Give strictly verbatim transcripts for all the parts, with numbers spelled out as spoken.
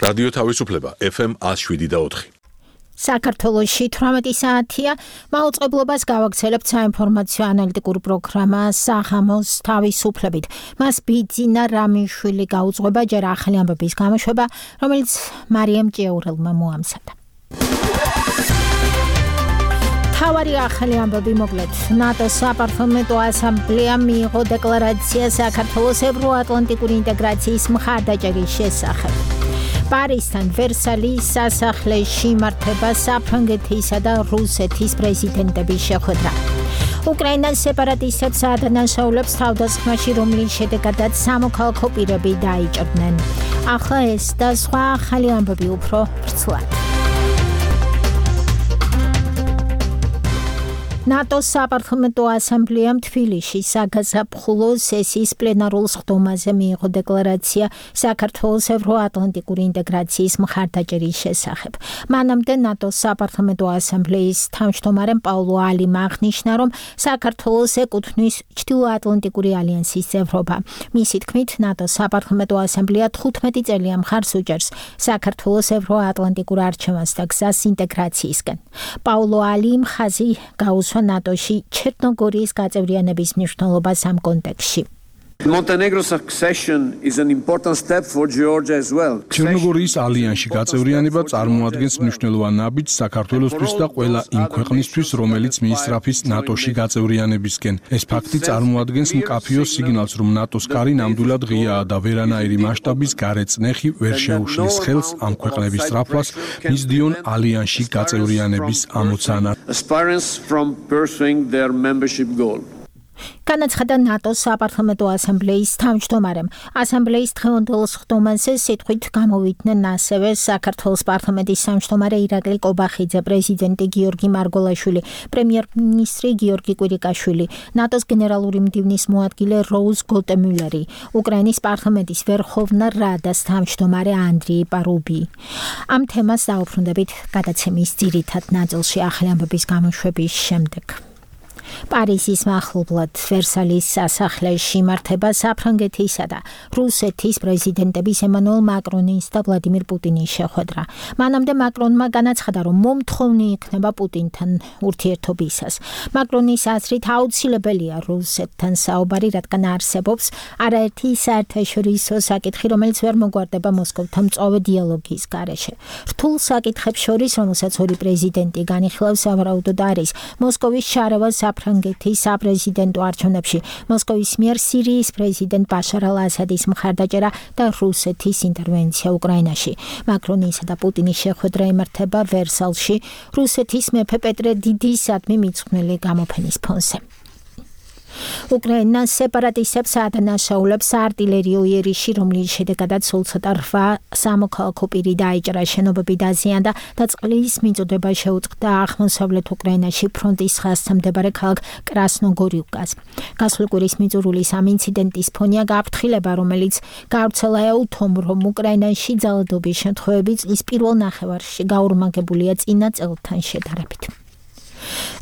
რადიო თავისუფლება ეფ ემ one oh seven და four. საქართველოში თვრამეტი საათია, მაუწყებლობას გავაგრძელებთ საინფორმაციო ანალიტიკურ პროგრამა საღამოს თავისუფლებით. მას ბიძინა რამიშვილი გაუძღვება ჯერ ახალი ამბების გამოშვება, რომელიც მარიამ ჭიაურელმა მოამზადა. თავარი ახალი ამბები მოკლედ. ნატოს საპარლამენტო ასამბლეამ მიიღო დეკლარაცია საქართველოს ევროატლანტიკური ინტეგრაციის მხარდაჭერის შესახებ. პარიზთან ვერსალის სასახლეში იმართება საფრანგეთისა და რუსეთის პრეზიდენტების შეხვედრა. უკრაინას სეპარატისტებს ადანაშაულებს თავდასხმაში, რომლის შედეგადაც სამოქალაქო პირები დაიჭრნენ. ახლა ეს და სხვა ახალი ამბები უფრო ვრცლად. ნატოს საპარლამენტო ასამბლეამ თბილისში საგაზაფხულო სესიის პლენარულ სხდომაზე მიიღო დეკლარაცია საქართველოს ევროატლანტიკური ინტეგრაციის მხარდაჭერის შესახებ. მანამდე ნატოს საპარლამენტო ასამბლეის თავმჯდომარემ პაულო ალიმ აღნიშნა, რომ საქართველოს ეკუთვნის ჩრდილოატლანტიკური ალიანსის წევრობა. მისი თქმით, ნატოს საპარლამენტო ასამბლეა თხუთმეტი წელია მხარს უჭერს საქართველოს ევროატლანტიკურ არჩევანს და გზას ინტეგრაციისკენ. პაულო ალიმ ხაზი გაუსვა ნატოში ჩერნოგორიის გაწევრიანების მნიშვნელობას ამ კონტექსტში. Montenegro's accession is an important step for Georgia as well. ჩერნოგორიის ალიანსში გაწევრიანება წარმოადგენს მნიშვნელოვან ნაბიჯს საქართველოსთვის და ყველა იმ ქვეყნისთვის, რომელიც მიისწრაფის ნატოში გაწევრიანებისკენ. ეს ფაქტი წარმოადგენს მკაფიო სიგნალს, რომ ნატოს კარი ნამდვილად ღიაა და ვერანაირი მასშტაბის გარეწნეხი ვერ შეუშლის ხელს ამ ქვეყნების სწრაფვას მისდიონ ალიანსში გაწევრიანების ამოცანად. Aspirants from pursuing their membership goal. განაცხადა ნატოს საპარლამენტო ასამბლეის თავმჯდომარემ. ასამბლეის დღევანდელ სხდომაზე სიტყვით გამოვიდნენ ასევე საქართველოს პარლამენტის თავმჯდომარე ირაკლი კობახიძე, პრეზიდენტი გიორგი მარგოლაშვილი, პრემიერ-მინისტრი გიორგი კვირიკაშვილი, ნატოს გენერალური მდივნის მოადგილე როუზ გოლტემიულერი, უკრაინის პარლამენტის ვერხოვნა რადას თავმჯდომარე ანდრიი პარუბი. ამ თემას დაუბრუნდებით გადაცემის ძირითად ნაწილში ახალი ამბების გამოშვების შემდეგ. პარიზის მახლობლად ვერსალის სასახლეში იმართება საფრანგეთისა და რუსეთის პრეზიდენტების ემანუელ მაკრონის და ვლადიმირ პუტინის შეხვედრა. მანამდე მაკრონმა განაცხადა, რომ მომთხოვნი იქნება პუტინთან ურთიერთობისას. მაკრონის აზრით აუცილებელია რუსეთთან საუბარი, რადგან არსებობს არაერთი საერთაშორისო საკითხი, რომელიც ვერ მოგვარდება მოსკოვთან მწვავე დიალოგის გარეშე. რთულ საკითხებს შორის, რომელსაც ორი პრეზიდენტი განიხილავს, სავარაუდოდ არის მოსკოვის შარევა საფრანგეთის საპრეზიდენტო არჩევნებში, მოსკოვის მიერ სირიის პრეზიდენტ ბაშარ ალ-ასადის მხარდაჭერა და რუსეთის ინტერვენცია უკრაინაში. მაკრონისა და პუტინის შეხვედრა იმართება ვერსალში, რუსეთის მეფე პეტრე დიდისადმი მიძღვნილი გამოფენის ფონზე. უკრაინას სეპარატისტებს ადანაშაულებს არტილერიო იერიში, რომლის შედეგადაც სულ ცოტა რვა სამოქალაქო პირი დაიჭრა, შენობები დაზიანდა და წყლის მიწოდება შეუწყდა აღმოსავლეთ უკრაინაში ფრონტის ხაზთან მდებარე ქალაქ კრასნოგორიუკას. გასული კვირის მიწურულის ამ ინციდენტის ფონია გაფრთხილება, რომელიც გავრცელა ეუთომ, რომ უკრაინაში ძალადობის შემთხვევები წლის პირველ ნახევარში გაურმაგებულია წინა წელთან შედარებით.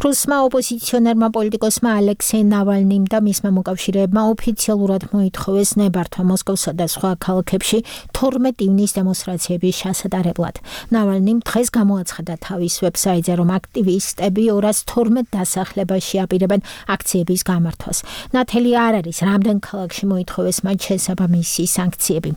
რუსმა ოპოზიციონერმა პოლიტიკოსმა ალექსეი ნავალნიმ და მისმა მოკავშირეებმა ოფიციალურად მოითხოვეს ნებართვა მოსკოვსა და სხვა ქალაქებში თორმეტ ივნის დემონსტრაციების ჩასატარებლად. ნავალნიმ დღეს გამოაცხადა თავის ვებსაიტზე, რომ აქტივისტები ორას თორმეტ დასახლებაში აპირებენ აქციების გამართვას. ნათელი არ არის, რამდენ ქალაქში მოითხოვეს მათ შესაბამისი სანქციები.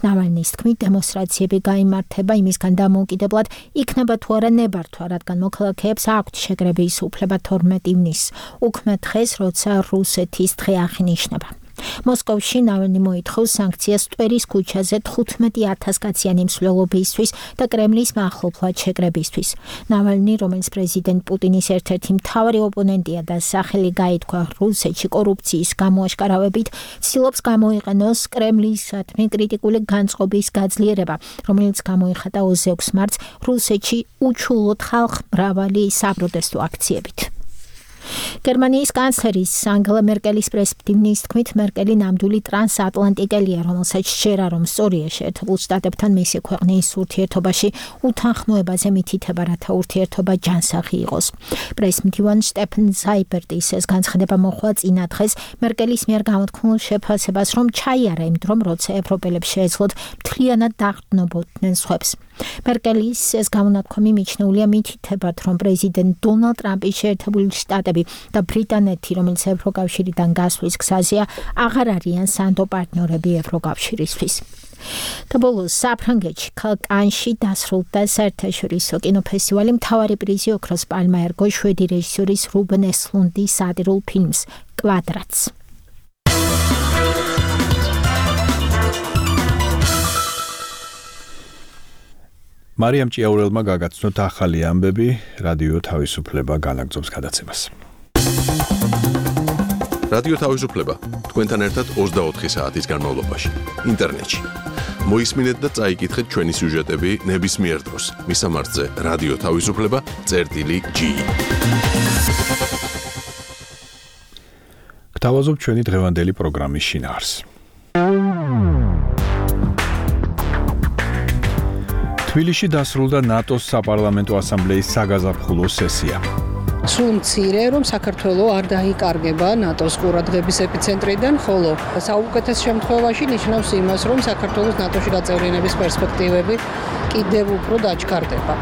ნავალნის თქმით, დემონსტრაციები გაიმართება იმისგან დამოუკიდებლად, იქნება თუ არა ნებართვა, რადგან მოქალაქეებს აქვთ შეკრება უფლება თორმეტ ივნისს, უქმე დღეს, როცა რუსეთის დღე აღინიშნება. მოსკოვში ნავალნი მოითხოვს სანქციას ტვერის ქუჩაზე თხუთმეტი ათას კაციანი მსვლელობისთვის და კრემლის მახლობლად შეკრებისთვის. ნავალნი, რომელიც პრეზიდენტ პუტინის ერთ-ერთი მთავარი ოპონენტია და სახელი გაითქვა რუსეთში კორუფციის გამოაშკარავებით, ცდილობს გამოიყენოს კრემლისადმი კრიტიკული განწყობის გაძლიერება, რომელიც გამოიხატა ოცდაექვსი მარტს რუსეთში უჩვეულოდ ხალხმრავალი საპროტესტო აქციებით. გერმანიის კანცლერის ანგელა მერკელის პრესპტივნის თქმით, მერკელი ნამდვილი ტრანსატლანტიკელია, რომელსაც შეერა, რომ სწორია შეერთებულ შტატებთან მისი ქვეყნის ურთიერთობაში უთანხმოებაზე მითითება, რათა ურთიერთობა ჯანსაღი იყოს. პრესმდივან შტეფენ ზაიბერტის ეს განცხადება მოხდა წინა დღეს მერკელის მიერ გამოთქმულ შეფასებას, რომ ჩაიარა იმ დრომ, როცა ევროპელებს შეეძლოთ მთლიანად დაყრდნობოდნენ სხვებს. მერკელის ეს გამონათქვამი მიჩნეულია მითითებად, რომ პრეზიდენტ დონალდ ტრამპის შეერთებული შტატები და ბრიტანეთი, რომელიც ევროკავშირიდან გასვლის გზაზეა, აღარ არიან სანდო პარტნიორები ევროკავშირისთვის. და ბოლოს საფრანგეთში ქალაქ კანში დასრულდა საერთაშორისო კინოფესტივალი. მთავარი პრიზი ოქროს პალმა ერგო შვედი რეჟისორის რუბენ ესლუნდის სატირულ ფილმს კვადრატს. მარიამ ჭიაურელმა გაგაცნოთ ახალი ამბები, რადიო თავისუფლება განაგრძობს გადაცემას. რადიო თავისუფლება თქვენთან ერთად ოცდაოთხი საათის განმავლობაში ინტერნეტში. მოისმინეთ და წაიკითხეთ ჩვენი სიუჟეტები ნებისმიერ დროს. მისამართზე რადიო თავისუფლება წერტილი ჯი. გთავაზობ ჩვენი დღევანდელი პროგრამის შინაარს. თბილისში დასრულდა ნატოს საპარლამენტო ასამბლეის საგაზაფხულო სესია. სულ მცირე, რომ საქართველოს არ დაიკარგება ნატოს ყურადღების ეპიცენტრიდან, ხოლო საუკეთესო შემთხვევაში ნიშნავს იმას, რომ საქართველოს ნატოში გაწევრიანების პერსპექტივები კიდევ უფრო დაჩქარდება.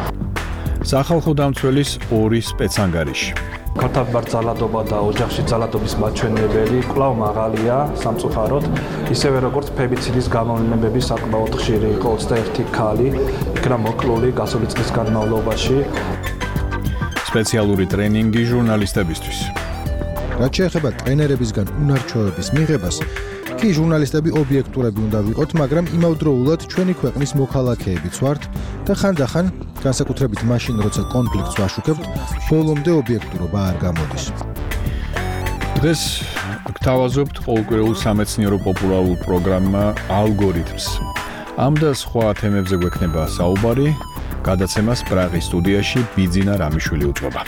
სახალხო დამცველის ორი სპეცანგარიში. ქართლბარ ძალადობა და ოჯახში ძალადობის მაჩვენებელი კვლავ მაღალია სამწუხაროდ, ისევე როგორც ფებიციდის გამოვლენები საკმაოდ ხშირი იყო ოცდაერთი ქალი, იქნა მოკლული გასული წლის განმავლობაში. სპეციალური ტრენინგი ჟურნალისტებისთვის. რაც შეეხება ტრენერებისგან უნარჩვევების მიღებას, კი ჟურნალისტები ობიექტურები უნდა ვიყოთ, მაგრამ იმავდროულად ჩვენი ქვეყნის მოქალაქეებიც ვართ და ხანდახან, განსაკუთრებით მაშინ, როცა კონფლიქტს ვაშუქებთ, ბოლომდე ობიექტურობა არ გამოდის. დღეს გთავაზობთ ყოველკვირეულ სამეცნიერო პოპულარულ პროგრამა ალგორითმს. ამ და სხვა თემებზე გვექნება საუბარი. გადაცემას პრაღის სტუდიაში ბიძინა რამიშვილი უძღვება.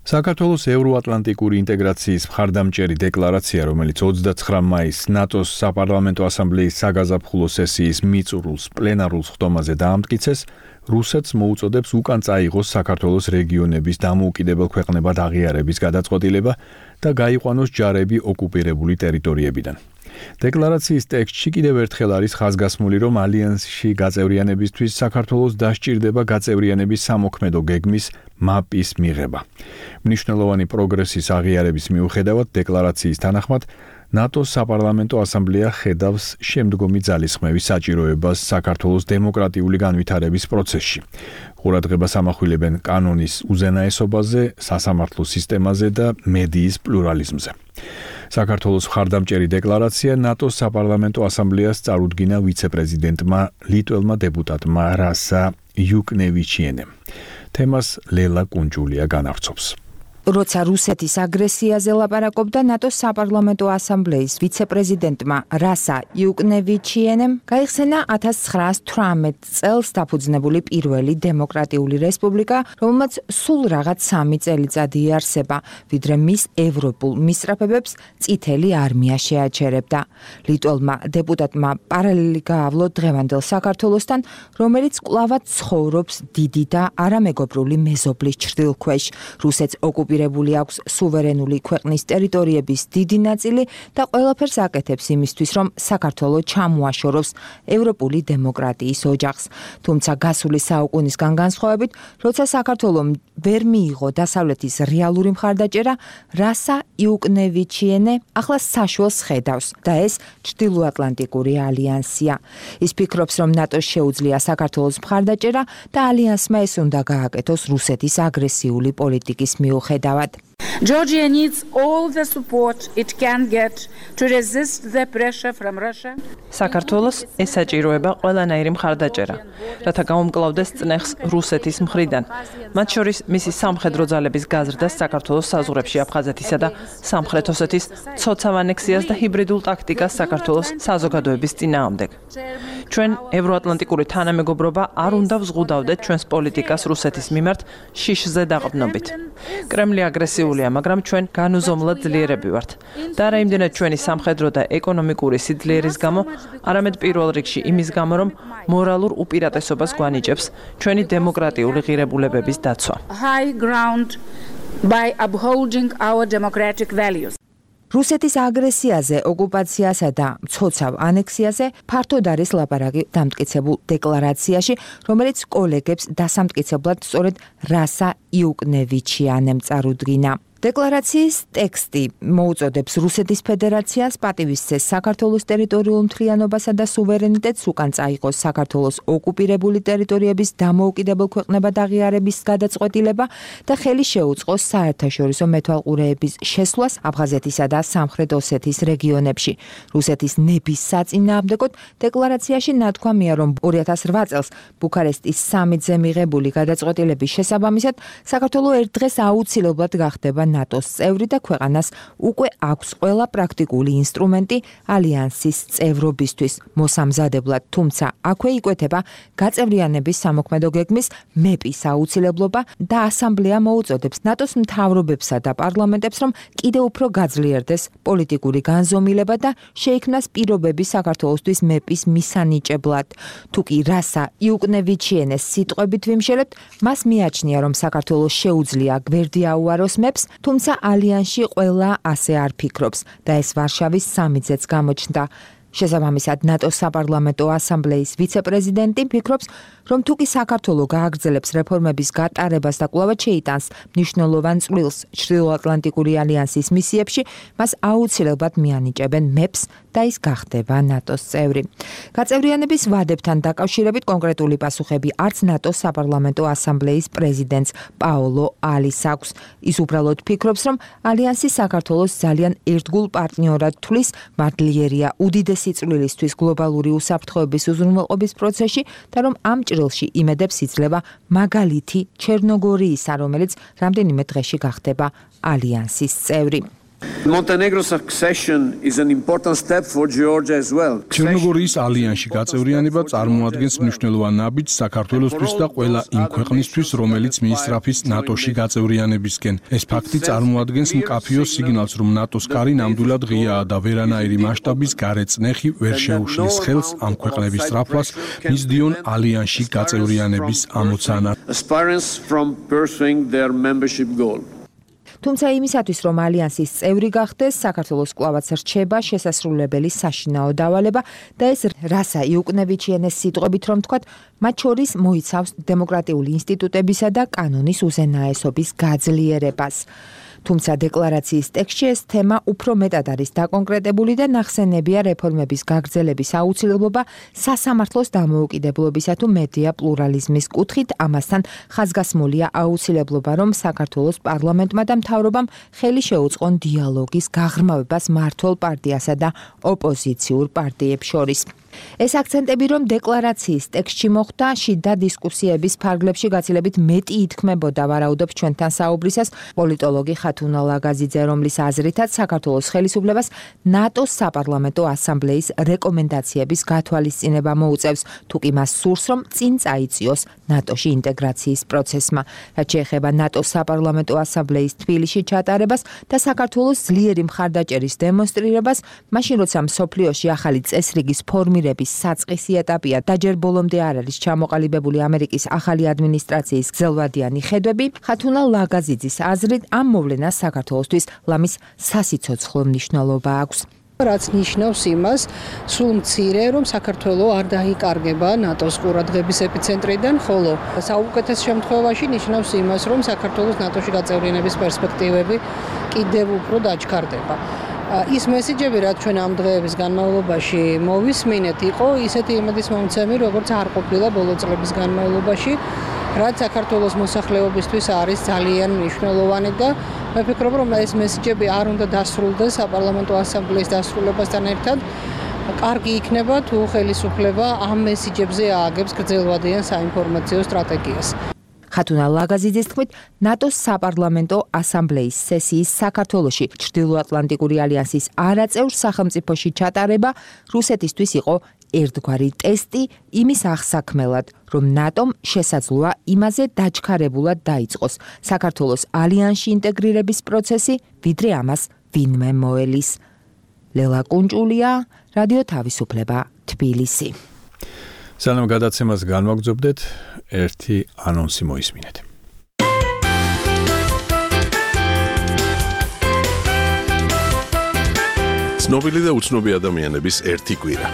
საქართველოს ევროატლანტიკური ინტეგრაციის მხარდამჭერი დეკლარაცია, რომელიც ოცდაცხრა მაისს ნატოს საპარლამენტო ასამბლეის საგაზაფხულო სესიის მიწურულს პლენარულ ხდომაზე დაამტკიცეს, რუსეთს მოუწოდებს უკან წაიღოს საქართველოს რეგიონების დამოუკიდებელ ქვეყნებად აღიარების გადაწყვეტილება და გაიყვანოს ჯარები ოკუპირებული ტერიტორიებიდან. დეკლარაციის ტექსტში კიდევ ერთხელ არის ხაზგასმული, რომ ალიანსში გაწევრიანებისთვის საქართველოს დასჭირდება გაწევრიანების სამოქმედო გეგმის მაპის მიღება. მნიშვნელოვანი პროგრესის აღიარების მიუხედავად დეკლარაციის თანახმად ნატოს საპარლამენტო ასამბლეა ხედავს შემდგომი ძალისხმევის საჭიროებას საქართველოს დემოკრატიული განვითარების პროცესში. ყურადღებას ამახვილებენ კანონის უზენაესობაზე, სასამართლო სისტემაზე და მედიის პლურალიზმზე. საქართველოს მხარდამჭერი დეკლარაცია ნატოს საპარლამენტო ასამბლეას წარუდგინა ვიცე-პრეზიდენტმა ლიტველმა დეპუტატმა რასა იუკნევიჩიენემ. თემას ლელა კუნჯულია განავრცობს. როცა რუსეთის აგრესიაზე ლაპარაკობდა ნატოს საპარლამენტო ასამბლეის ვიცე-პრეზიდენტმა რასა იუკნევიჩიენემ, გაიხსენა ათას ცხრაას თვრამეტ წელს დაფუძნებული პირველი დემოკრატიული რესპუბლიკა, რომელმაც სულ რაღაც სამი წელიწადი იარსება, ვიდრე მის ევროპულ მისწრაფებებს წითელი არმია შეაჩერებდა. ლიტველმა დეპუტატმა პარალელი გაავლო დღევანდელ საქართველოსთან, რომელიც კვლავად ცხოვრობს დიდი და არამეგობრული მეზობლის ჩრდილქვეშ. რუსეთს ოკუპირებული აქვს სუვერენული ქვეყნის ტერიტორიების დიდი ნაწილი და ყველაფერს აკეთებს იმისთვის, რომ საქართველო ჩამოაშოროს ევროპული დემოკრატიის ოჯახს. თუმცა გასული საუკუნისგან განსხვავებით, როცა საქართველომ ვერ მიიღო დასავლეთის რეალური მხარდაჭერა, რასა იუკნევიჩიენე ახლა საშუალს ხედავს და ეს ჩრდილოატლანტიკური ალიანსია. ის ფიქრობს, რომ ნატოს შეუძლია საქართველოს მხარდაჭერა და ალიანსმა ეს უნდა გააკეთოს რუსეთის აგრესიული პოლიტიკის მიუხედავად. Georgia needs all the support it can get to resist the pressure from Russia. საქართველოს ესაჭიროება ყველანაირი მხარდაჭერა, რათა გაუმკლავდეს წნეხს რუსეთის მხრიდან. მათ შორის მისი სამხედრო ძალების გაზრდას საქართველოს საზღვრებში აფხაზეთისა და სამხრეთ ოსეთის ცოცავ ანექსიას და ჰიბრიდულ ტაქტიკას საქართველოს საზოგადოების წინააღმდეგ. ჩვენ ევროატლანტიკური თანამეგობრობა არ უნდა ვზღუდავდეთ ჩვენს პოლიტიკას რუსეთის მიმართ შიშზე დაყრდნობით. კრემლი აგრესიულია, მაგრამ ჩვენ განუზომლად ძლიერები ვართ. და არა იმდენად ჩვენი სამხედრო და ეკონომიკური სიძლიერის გამო, არამედ პირველ რიგში იმის გამო, რომ მორალურ უპირატესობას გვანიჭებს ჩვენი დემოკრატიული ღირებულებების დაცვა. High ground by upholding our democratic values. რუსეთის აგრესიაზე, ოკუპაციასა და მცოცავ ანექსიაზე ფართოდ არის ლაპარაკი დამტკიცებულ დეკლარაციაში, რომელიც კოლეგებს დასამტკიცებლად სწორედ რასა იუკნევიჩიანემ წარუდგინა. დეკლარაციის ტექსტი მოუწოდებს რუსეთის ფედერაციას პატივისცეს საქართველოს ტერიტორიულ მთლიანობასა და სუვერენიტეტს, უკან წაიღოს საქართველოს ოკუპირებული ტერიტორიების დამოუკიდებელ ქვეყნებად აღიარების გადაწყვეტილება და ხელი შეუწყოს საერთაშორისო მეთვალყურეების შესვლას აფხაზეთისა და სამხრეთ ოსეთის რეგიონებში. რუსეთის ნების საწინააღმდეგოდ დეკლარაციაში ნათქვამია, რომ ორი ათას რვა წელს ბუქარესტის სამიტზე მიღებული გადაწყვეტილების შესაბამისად საქართველო ერთ დღეს აუცილებლად გახდება ნატოს წევრი და ქვეყანას უკვე აქვს ყველა პრაქტიკული ინსტრუმენტი ალიანსის წევრობისთვის მოსამზადებლად, თუმცა აქვე იკვეთება გაწევრიანების სამოქმედო გეგმის მეპის აუცილებლობა და ასამბლეა მოუწოდებს ნატოს მთავრობებსა და პარლამენტებს, რომ კიდევ უფრო გაძლიერდეს პოლიტიკური განზომილება და შეიქმნას პირობები საქართველოსთვის მეპის მისანიჭებლად. თუკი რასა იუკნევიჩიენეს სიტყვებით ვიმშელებთ, მას მიაჩნია, რომ საქართველოს შეუძლია გვერდი აუაროს მეპს, თუმცა ალიანსში ყველა ასე არ ფიქრობს და ეს ვარშავის სამიტზეც გამოჩნდა. შესაბამისად, ნატოს საპარლამენტო ასამბლეის ვიცე-პრეზიდენტი ფიქრობს, რომ თუკი საქართველო გააგრძელებს რეფორმების გატარებას და კვლავად შეიტანს მნიშვნელოვან წვლილს ჩრდილოატლანტიკური ალიანსის მისიებში, მას აუცილებლად მიანიჭებენ მეპს და ის გახდება ნატოს წევრი. გაწევრიანების ვადებთან დაკავშირებით კონკრეტული პასუხები არც ნატოს საპარლამენტო ასამბლეის პრეზიდენტს პაოლო ალის აქვს. ის უბრალოდ ფიქრობს, რომ ალიანსი საქართველოს ძალიან ერთგულ პარტნიორად თვლის, მართლიერია უდიდესი წვლილისთვის გლობალური უსაფრთხოების უზრუნველყოფის პროცესში და რომ ამ ჭრილში იმედებს იძლევა მაგალითი ჩერნოგორიისა, რომელიც რამდენიმე დღეში გახდება ალიანსის წევრი. Montenegro's accession is an important step for Georgia as well. ჩერნოგორიის ალიანსში გაწევრიანება წარმოადგენს მნიშვნელოვან ნაბიჯს საქართველოსთვის და ყველა იმ ქვეყნისთვის, რომელიც მიისწრაფის ნატოში გაწევრიანებისკენ. ეს ფაქტი წარმოადგენს მკაფიო სიგნალს, რომ ნატოს კარი ნამდვილად ღიაა და ვერანაირი მასშტაბის გარეწნეხი ვერ შეუშლის ხელს ამ ქვეყნების სწრაფვას მისდიონ ალიანსში გაწევრიანების ამოცანა. Aspirants from pursuing their membership goal. თუმცა იმისათვის, რომ ალიანსის წევრი გახდეს, საქართველოს კვლავაც რჩება შესასრულებელი საშინაო დავალება და ეს რასა იუკნევიჩიენეს სიტყვებით რომ თქვათ, მათ შორის მოიცავს დემოკრატიული ინსტიტუტებისა და კანონის უზენაესობის გაძლიერებას. თუმცა დეკლარაციის ტექსტში ეს თემა უფრო მეტად არის დაკონკრეტებული და ნახსენებია რეფორმების გაგრძელების აუცილებლობა სასამართლოს დამოუკიდებლობისა თუ მედია პლურალიზმის კუთხით, ამასთან ხაზგასმულია აუცილებლობა, რომ საქართველოს პარლამენტმა და მთავრობამ ხელი შეუწყონ დიალოგის გაღრმავებას მმართველ პარტიასა და ოპოზიციურ პარტიებს შორის. ეს აქცენტები, რომ დეკლარაციის ტექსტში მოხვდა, შიდა დისკუსიების ფარგლებში გაცილებით მეტი ითქმებოდა, ვარაუდობს ჩვენთან საუბრისას პოლიტოლოგი ხათუნა ლაგაზიძე, რომლის აზრითაც საქართველოს ხელისუფლებას ნატოს საპარლამენტო ასამბლეის რეკომენდაციების გათვალისწინება მოუწევს, თუკი მას სურს, რომ წინ წაიწიოს ნატოში ინტეგრაციის პროცესმა. რაც შეეხება ნატოს საპარლამენტო ასამბლეის თბილისში ჩატარებას და საქართველოს ძლიერი მხარდაჭერის დემონსტრირებას, მაშინ როცა მსოფლიოში ახალი წესრიგის ფორმირება საწყისი ეტაპია და ჯერ ბოლომდე არ არის ჩამოყალიბებული ამერიკის ახალი ადმინისტრაციის გრძელვადიანი ხედვები, ხათუნა ლაგაზიძის აზრით ამ მოვლენას საქართველოსთვის ლამის სასიცოცხლო მნიშვნელობა აქვს. რაც ნიშნავს იმას, სულ მცირე, რომ საქართველოს არ დაიკარგება ნატოს ყურადღების ეპიცენტრიდან, ხოლო საუკეთესო შემთხვევაში ნიშნავს იმას, რომ საქართველოს ნატოში გაწევრიანების პერსპექტივები კიდევ უფრო დაჩქარდება. ის მესიჯები, რაც ჩვენ ამ დღეების განმავლობაში მოვისმინეთ, იყო ისეთი იმედის მომცემი, როგორც არ ყოფილა ბოლო წლების განმავლობაში, რაც საქართველოს მოსახლეობისთვის არის ძალიან მნიშვნელოვანი და მე ვფიქრობ, რომ ეს მესიჯები არ უნდა დასრულდეს საპარლამენტო ასამბლეის დასრულებასთან ერთად. კარგი იქნება თუ ხელისუფლება ამ მესიჯებზე ააგებს გრძელვადიან საინფორმაციო სტრატეგიას. ხათუნა ლაგაზიძის თქმით, ნატოს საპარლამენტო ასამბლეის სესიის საქართველოში ჩრდილოატლანტიკური ალიანსის არაწევრ სახელმწიფოში ჩატარება რუსეთისთვის იყო ერთგვარი ტესტი იმის აღსაქმელად, რომ ნატომ შესაძლოა იმაზე დაჩქარებულად დაიწყოს საქართველოს ალიანსში ინტეგრირების პროცესი, ვიდრე ამას ვინმე მოელის. ლელა კუნჭულია, რადიო თავისუფლება, თბილისი. სანამ გადაცემას განვაგრძობდეთ, ერთი ანონსი მოისმინეთ. ცნობილი და უცნობი ადამიანების ერთი კვირა.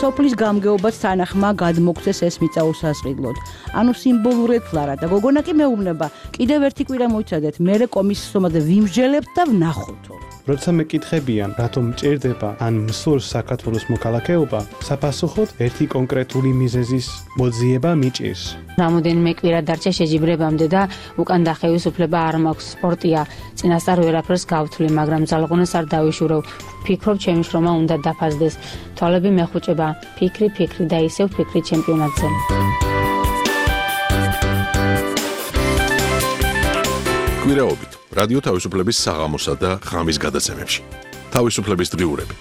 სოფლის გამგეობას თანახმა გადმოგცეს ეს მიწა უსასყიდლოდ. ანუ სიმბოლურად ფლარა და გოგონა კი მეუბნება, კიდევ ერთი კვირა მოიცადეთ, მერე კომისიის სომაზე ვიმსჯელებთ და ვნახოთ. როცა მეკითხებიან, რატომ მჭირდება ან მსურს საქართველოს მოქალაქეობა, საფასუხოდ ერთი კონკრეტული მიზეზის მოძიება მიჭირს. რამოდენიმე კვირა დარჩა შეჯიბრებამდე და უკან დახევის უფლება არ მაქვს. სპორტია, წინასწარ ვერაფერს გავთვლი, მაგრამ ძალღონას არ დავიშურევ. ფიქრობ, ჩემი შრომა უნდა დაფასდეს. თვალები მეხუჭება, ფიქრი, ფიქრი და ისევ ფიქრი ჩემპიონატზე. კვირაობით რადიო თავისუფლების საღამოსა და ღამის გადაცემებში. თავისუფლების დღიურები.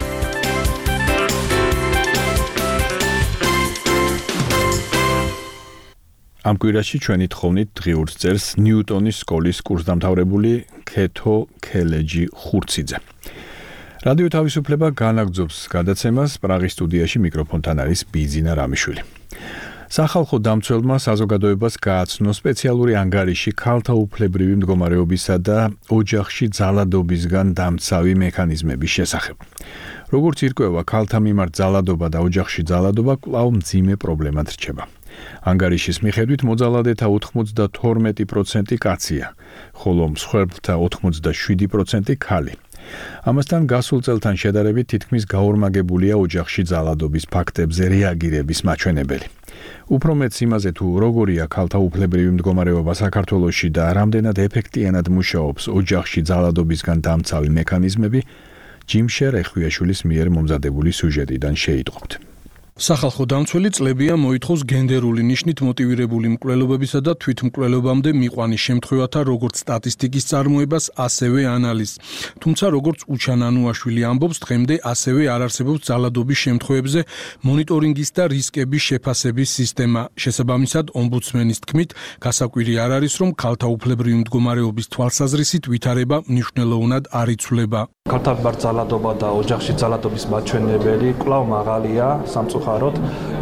ამ კვირაში ჩვენი თხოვნით დღიურს წერს ნიუტონის სკოლის კურსდამთავრებული ქეთო ქელეჯი ხურციძე. რადიო თავისუფლება განაგრძობს გადაცემას პრაღის სტუდიაში მიკროფონთან არის ბიძინა რამიშვილი. სახალხო დამცველმა საზოგადოებას გააცნო სპეციალური ანგარიში ქალთა უფლებრივი მდგომარეობისა და ოჯახში ძალადობისგან დამცავი მექანიზმების შესახებ. როგორც ირკვევა, ქალთა მიმართ ძალადობა და ოჯახში ძალადობა კვლავ მძიმე პრობლემად რჩება. ანგარიშის მიხედვით მოძალადეთა ოცდათორმეტი პროცენტი კაცია, ხოლო მსხვერპლთა ოცდაშვიდი პროცენტი ქალი. ამასთან გასულ წელთან შედარებით თითქმის გაორმაგებულია ოჯახში ძალადობის ფაქტებზე რეაგირების მაჩვენებელი. უფრო მეც იმაზე თუ როგორია ქალთა უფლებრივი მდგომარეობა საქართველოში და რამდენად ეფექტიანად მუშაობს ოჯახში ძალადობისგან დამცავი მექანიზმები, ჯიმშერ ეხვიაშვილის მიერ მომზადებული სიუჟეტიდან შეიტყობთ. სახალხო დამცველი წლებია მოითხოვს გენდერული ნიშნით მოტივირებული მკვლელობებისა და თვითმკვლელობამდე მიყვანის შემთხვევათა როგორც სტატისტიკის წარმოებას, ასევე ანალიზს. თუმცა როგორც უჩანანუაშვილი ამბობს, დღემდე ასევე არ არსებობს ძალადობის შემთხვევებზე მონიტორინგის და რისკების შეფასების სისტემა. შესაბამისად, ომბუდსმენის თქმით, გასაკვირი არ არის, რომ ქალთა უფლებრივი მდგომარეობის თვალსაზრისით ვითარება მნიშვნელოვნად არ იცვლება. ქალთა მიმართ ძალადობა და ოჯახში ძალადობის მაჩვენებელი კვლავ მაღალია სამწუხაროდ,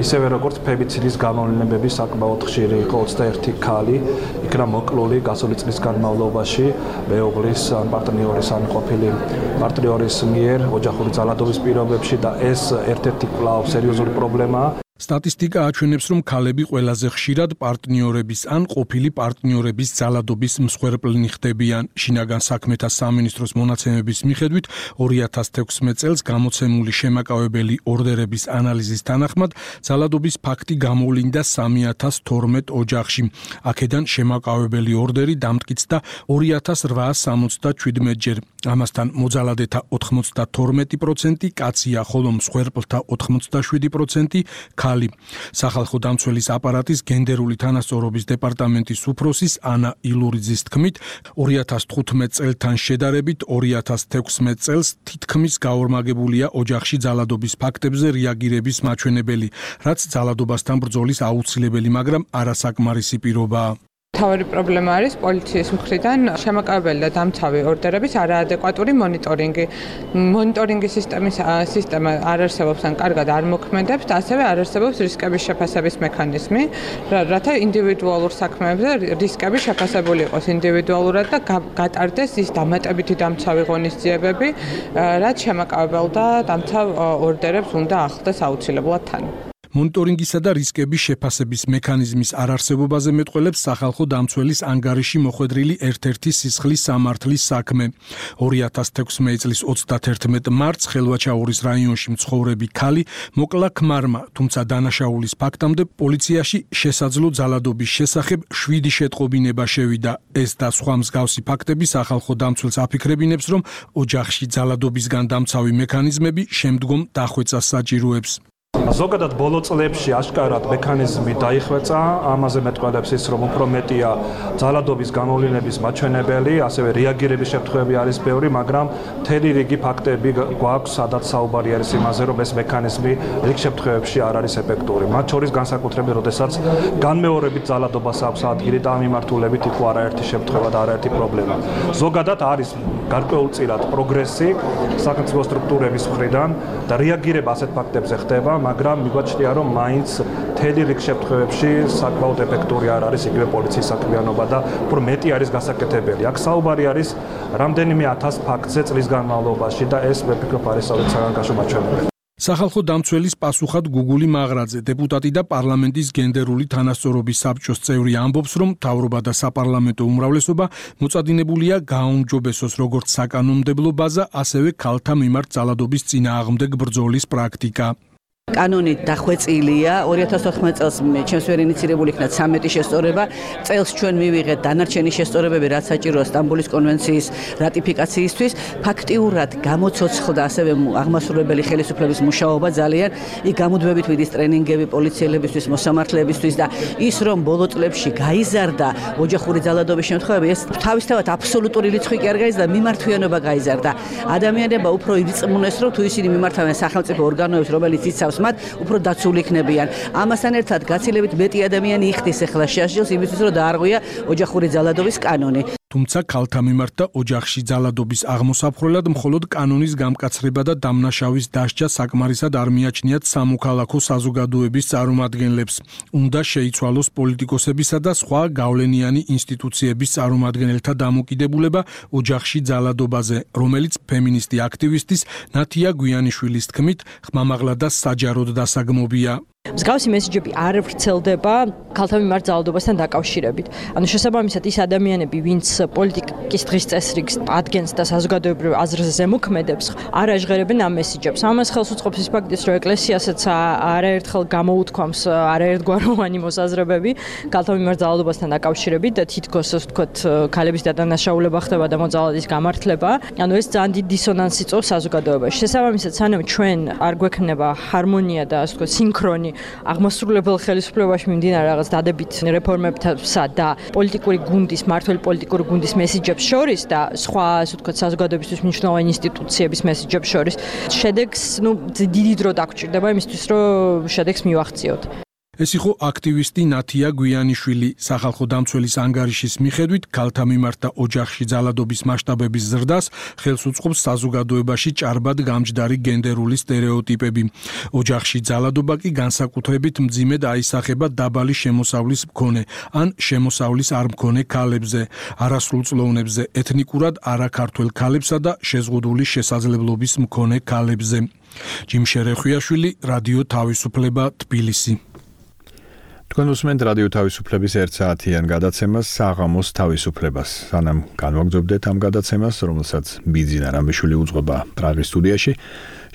ისევე როგორც ფემიციდის გამოვლენები საკმაოდ ხშირი იყო ოცდაერთი ქალი, იქნა მოკლული გასული წლის განმავლობაში მეუღლის ან პარტნიორის ან ყოფილი პარტნიორის მიერ ოჯახური ძალადობის პირობებში და ეს ერთ-ერთი კვლავ სერიოზული პრობლემაა. სტატისტიკა აჩვენებს, რომ ქალები ყველაზე ხშირად პარტნიორების ან ყოფილი პარტნიორების ძალადობის მსხვერპლნი ხდებიან. შინაგან საქმეთა სამინისტროს მონაცემების მიხედვით, ორი ათას თექვსმეტ წელს გამოცემული შემაკავებელი ორდერების ანალიზის თანახმად, ძალადობის ფაქტი გამოვლინდა სამი ათას თორმეტ ოჯახში. აქედან შემაკავებელი ორდერი დამტკიცდა ორი ათას რვაას სამოცდაჩვიდმეტ ჯერ. ამასთან მოძალადეთა ოცდათორმეტი პროცენტი კაცია, ხოლო მსხვერპლთა ოცდაშვიდი პროცენტი ქალი. სახალხო დამცველის აპარატის გენდერული თანასწორობის დეპარტამენტის უფროსის ანა ილურიძის თქმით, ორი ათას თხუთმეტ წელთან შედარებით ორი ათას თექვსმეტ წელს თითქმის გაორმაგებულია ოჯახში ძალადობის ფაქტებზე რეაგირების მაჩვენებელი, რაც ძალადობასთან ბრძოლის აუცილებელი, მაგრამ არასაკმარისი პირობაა. მთავარი პრობლემა არის პოლიციის მხრიდან შემაკავებელი და დამცავი ორდერების არაადეკვატური მონიტორინგი. მონიტორინგის სისტემის სისტემა არ არსებობს ან კარგად არ მოქმედებს და ასევე არ არსებობს რისკების შეფასების მექანიზმი, რათა ინდივიდუალურ საქმეებზე რისკები შეფასებული იყოს ინდივიდუალურად და გატარდეს ის დამატებითი დამცავი ღონისძიებები, რაც შემაკავებელ და დამცავ ორდერებს უნდა ახლდეს აუცილებლად თან. მონიტორინგისა და რისკების შეფასების მექანიზმის არარსებობაზე მეტყველებს სახალხო დამცველის ანგარიში მოხვედრილი ერთ-ერთი სისხლის სამართლის საქმე. ორი ათას თექვსმეტ წლის ოცდათერთმეტ მარტს ხელვაჩაურის რაიონში მცხოვრები ქალი მოკლა ქმარმა, თუმცა დანაშაულის ფაქტამდე პოლიციაში შესაძლო ძალადობის შესახებ შვიდი შეტყობინება შევიდა. ეს და სხვა მსგავსი ფაქტები სახალხო დამცველს აფიქრებინებს, რომ ოჯახში ძალადობისგან დამცავი მექანიზმები შემდგომ დახვეწას საჭიროებს. ზოგადად ბოლო წლებში აშკარად მექანიზმი დაიხვეწა, ამაზე მეტყველებს ის, რომ უფრო მეტია ძალადობის გამოვლინების მაჩვენებელი, ასევე რეაგირების შემთხვევები არის ბევრი, მაგრამ მთელი რიგი ფაქტები გვაქვს, სადაც საუბარი არის იმაზე, რომ ეს მექანიზმი რიგ შემთხვევებში არ არის ეფექტური. მათ შორის განსაკუთრებით, როდესაც განმეორებით ძალადობას აქვს ადგილი და ამ მიმართულებით იქ არაერთი შემთხვევა და არაერთი პრობლემა. ზოგადად არის გარკვეულწილად პროგრესი სახელმწიფო სტრუქტურების მხრიდან და რეაგირება ასეთ ფაქტებზე ხდება, მაგრამ მიგვაჩნია, რომ მაინც მთელი რიგ შემთხვევებში საკმაოდ ეფექტური არ არის იგივე პოლიციის საქმიანობა და უფრო მეტი არის გასაკეთებელი. აქ საუბარი არის რამდენიმე ათას ფაქტზე წლის განმავლობაში და ეს მე ვფიქრობ არის საგანგაშო მაჩვენებელი. სახალხო დამცველის პასუხად გუგული მაღრაძე, დეპუტატი და პარლამენტის გენდერული თანასწორობის საბჭოს წევრი ამბობს, რომ მთავრობა და საპარლამენტო უმრავლესობა მოწადინებულია გააუმჯობესოს როგორც საკანონმდებლო ბაზა, ასევე ქალთა მიმართ ძალადობის წინააღმდეგ ბრძოლის პრაქტიკა. კანონით დახვეწილია ორი ათას ოთხმოცდაათი წელს ჩემს ვერ ინიცირებული იქნა ცამეტი შესწორება, წელს ჩვენ მივიღეთ დანარჩენი შესწორებები, რაც საჭიროა სტამბოლის კონვენციის რატიფიკაციისთვის. ფაქტიურად გამოცოცხლდა ასევე აღმასრულებელი ხელისუფლების მუშაობა ძალიან, იქ გამუდმებით მიდის ტრენინგები პოლიციელებისთვის, მოსამართლეებისთვის და ის რომ ბოლო წლებში გაიზარდა ოჯახური ძალადობის შემთხვევები, ეს თავისთავად აბსოლუტური რიცხვი კი არ გაიზარდა, მიმართვიანობა გაიზარდა. ადამიანებმა უფრო ირწმუნეს, რომ თუ ისინი მიმართავენ სახელმწიფო ორგანოებს, რომელიც იცავს მათ, უფრო დაცული იქნებიან. ამასთან ერთად გაცილებით მეტი ადამიანი იხდის ახლა შეაშილს იმისთვის, რომ დაარღვია ოჯახური ძალადობის კანონი. თუმცა ქალთა მიმართ და ოჯახში ძალადობის აღმოსაფხვრელად მხოლოდ კანონის გამკაცრება და დამნაშავის დასჯა საკმარისად არ მიაჩნიათ სამოქალაქო საზოგადოების წარმომადგენლებს. უნდა შეიცვალოს პოლიტიკოსებისა და სხვა გავლენიანი ინსტიტუციების წარმომადგენელთა დამოკიდებულება ოჯახში ძალადობაზე, რომელიც ფემინისტი აქტივისტის ნათია გვიანიშვილის თქმით, ხმამაღლა და საჯაროდ დასაგმობია. მსგავსი მესიჯები არ ვრცელდება ქალთა მიმართ ძალადობასთან დაკავშირებით. ანუ შესაბამისად ის ადამიანები, ვინც პოლიტიკის დღის წესრიგს ადგენს და საზოგადოებრივ აზრზე ზემოქმედებს, არ აჟღერებენ ამ მესიჯებს. ამას ხელს უწყობს ის ფაქტიც, რომ ეკლესიასაც არაერთხელ გამოუთქვამს არაერთგვაროვანი მოსაზრებები ქალთა მიმართ ძალადობასთან დაკავშირებით და თითქოს ასე ვთქვათ, ქალების დადანაშაულება ხდება და მოძალადის გამართლება. ანუ ეს ძალიან დიდ დისონანსს იწვევს საზოგადოებაში. შესაბამისად, სანამ ჩვენ არ გვექნება ჰარმონია და ასე ვთქვათ, სინქრონი აღმასრულებელ ხელისუფლებაში მიმდინარე რაღაც დადებით რეფორმებსა და პოლიტიკური გუნდის, მართველი პოლიტიკური გუნდის მესიჯებს შორის და სხვა, ასე ვთქვათ, საზოგადოებისთვის მნიშვნელოვანი ინსტიტუციების მესიჯებს შორის, შედეგს, ну, დიდი დრო დაგჭირდება იმისთვის, რომ შედეგს მივახციოთ. ეს იყო აქტივისტი ნათია გვიანიშვილი. სახალხო დამცველის ანგარიშის მიხედვით, ქალთა მიმართ და ოჯახში ძალადობის მასშტაბების ზრდას ხელს უწყობს საზოგადოებაში ჭარბად გამჯდარი გენდერული სტერეოტიპები. ოჯახში ძალადობა კი განსაკუთრებით მძიმედ აისახება დაბალი შემოსავლის მქონე ან შემოსავლის არ მქონე ქალებზე, არასრულწლოვნებზე, ეთნიკურად არაქართველ ქალებსა და შეზღუდული შესაძლებლობის მქონე ქალებზე. ჯიმშე რეხვიაშვილი, რადიო თავისუფლება, თბილისი. თქვენ უსმენთ რადიო თავისუფლების ერთ საათიან გადაცემას საღამოს თავისუფლებას. სანამ განვაგრძობდეთ ამ გადაცემას, რომელსაც ბიძინა რამბიშვილი უძღვება პრაღის სტუდიაში,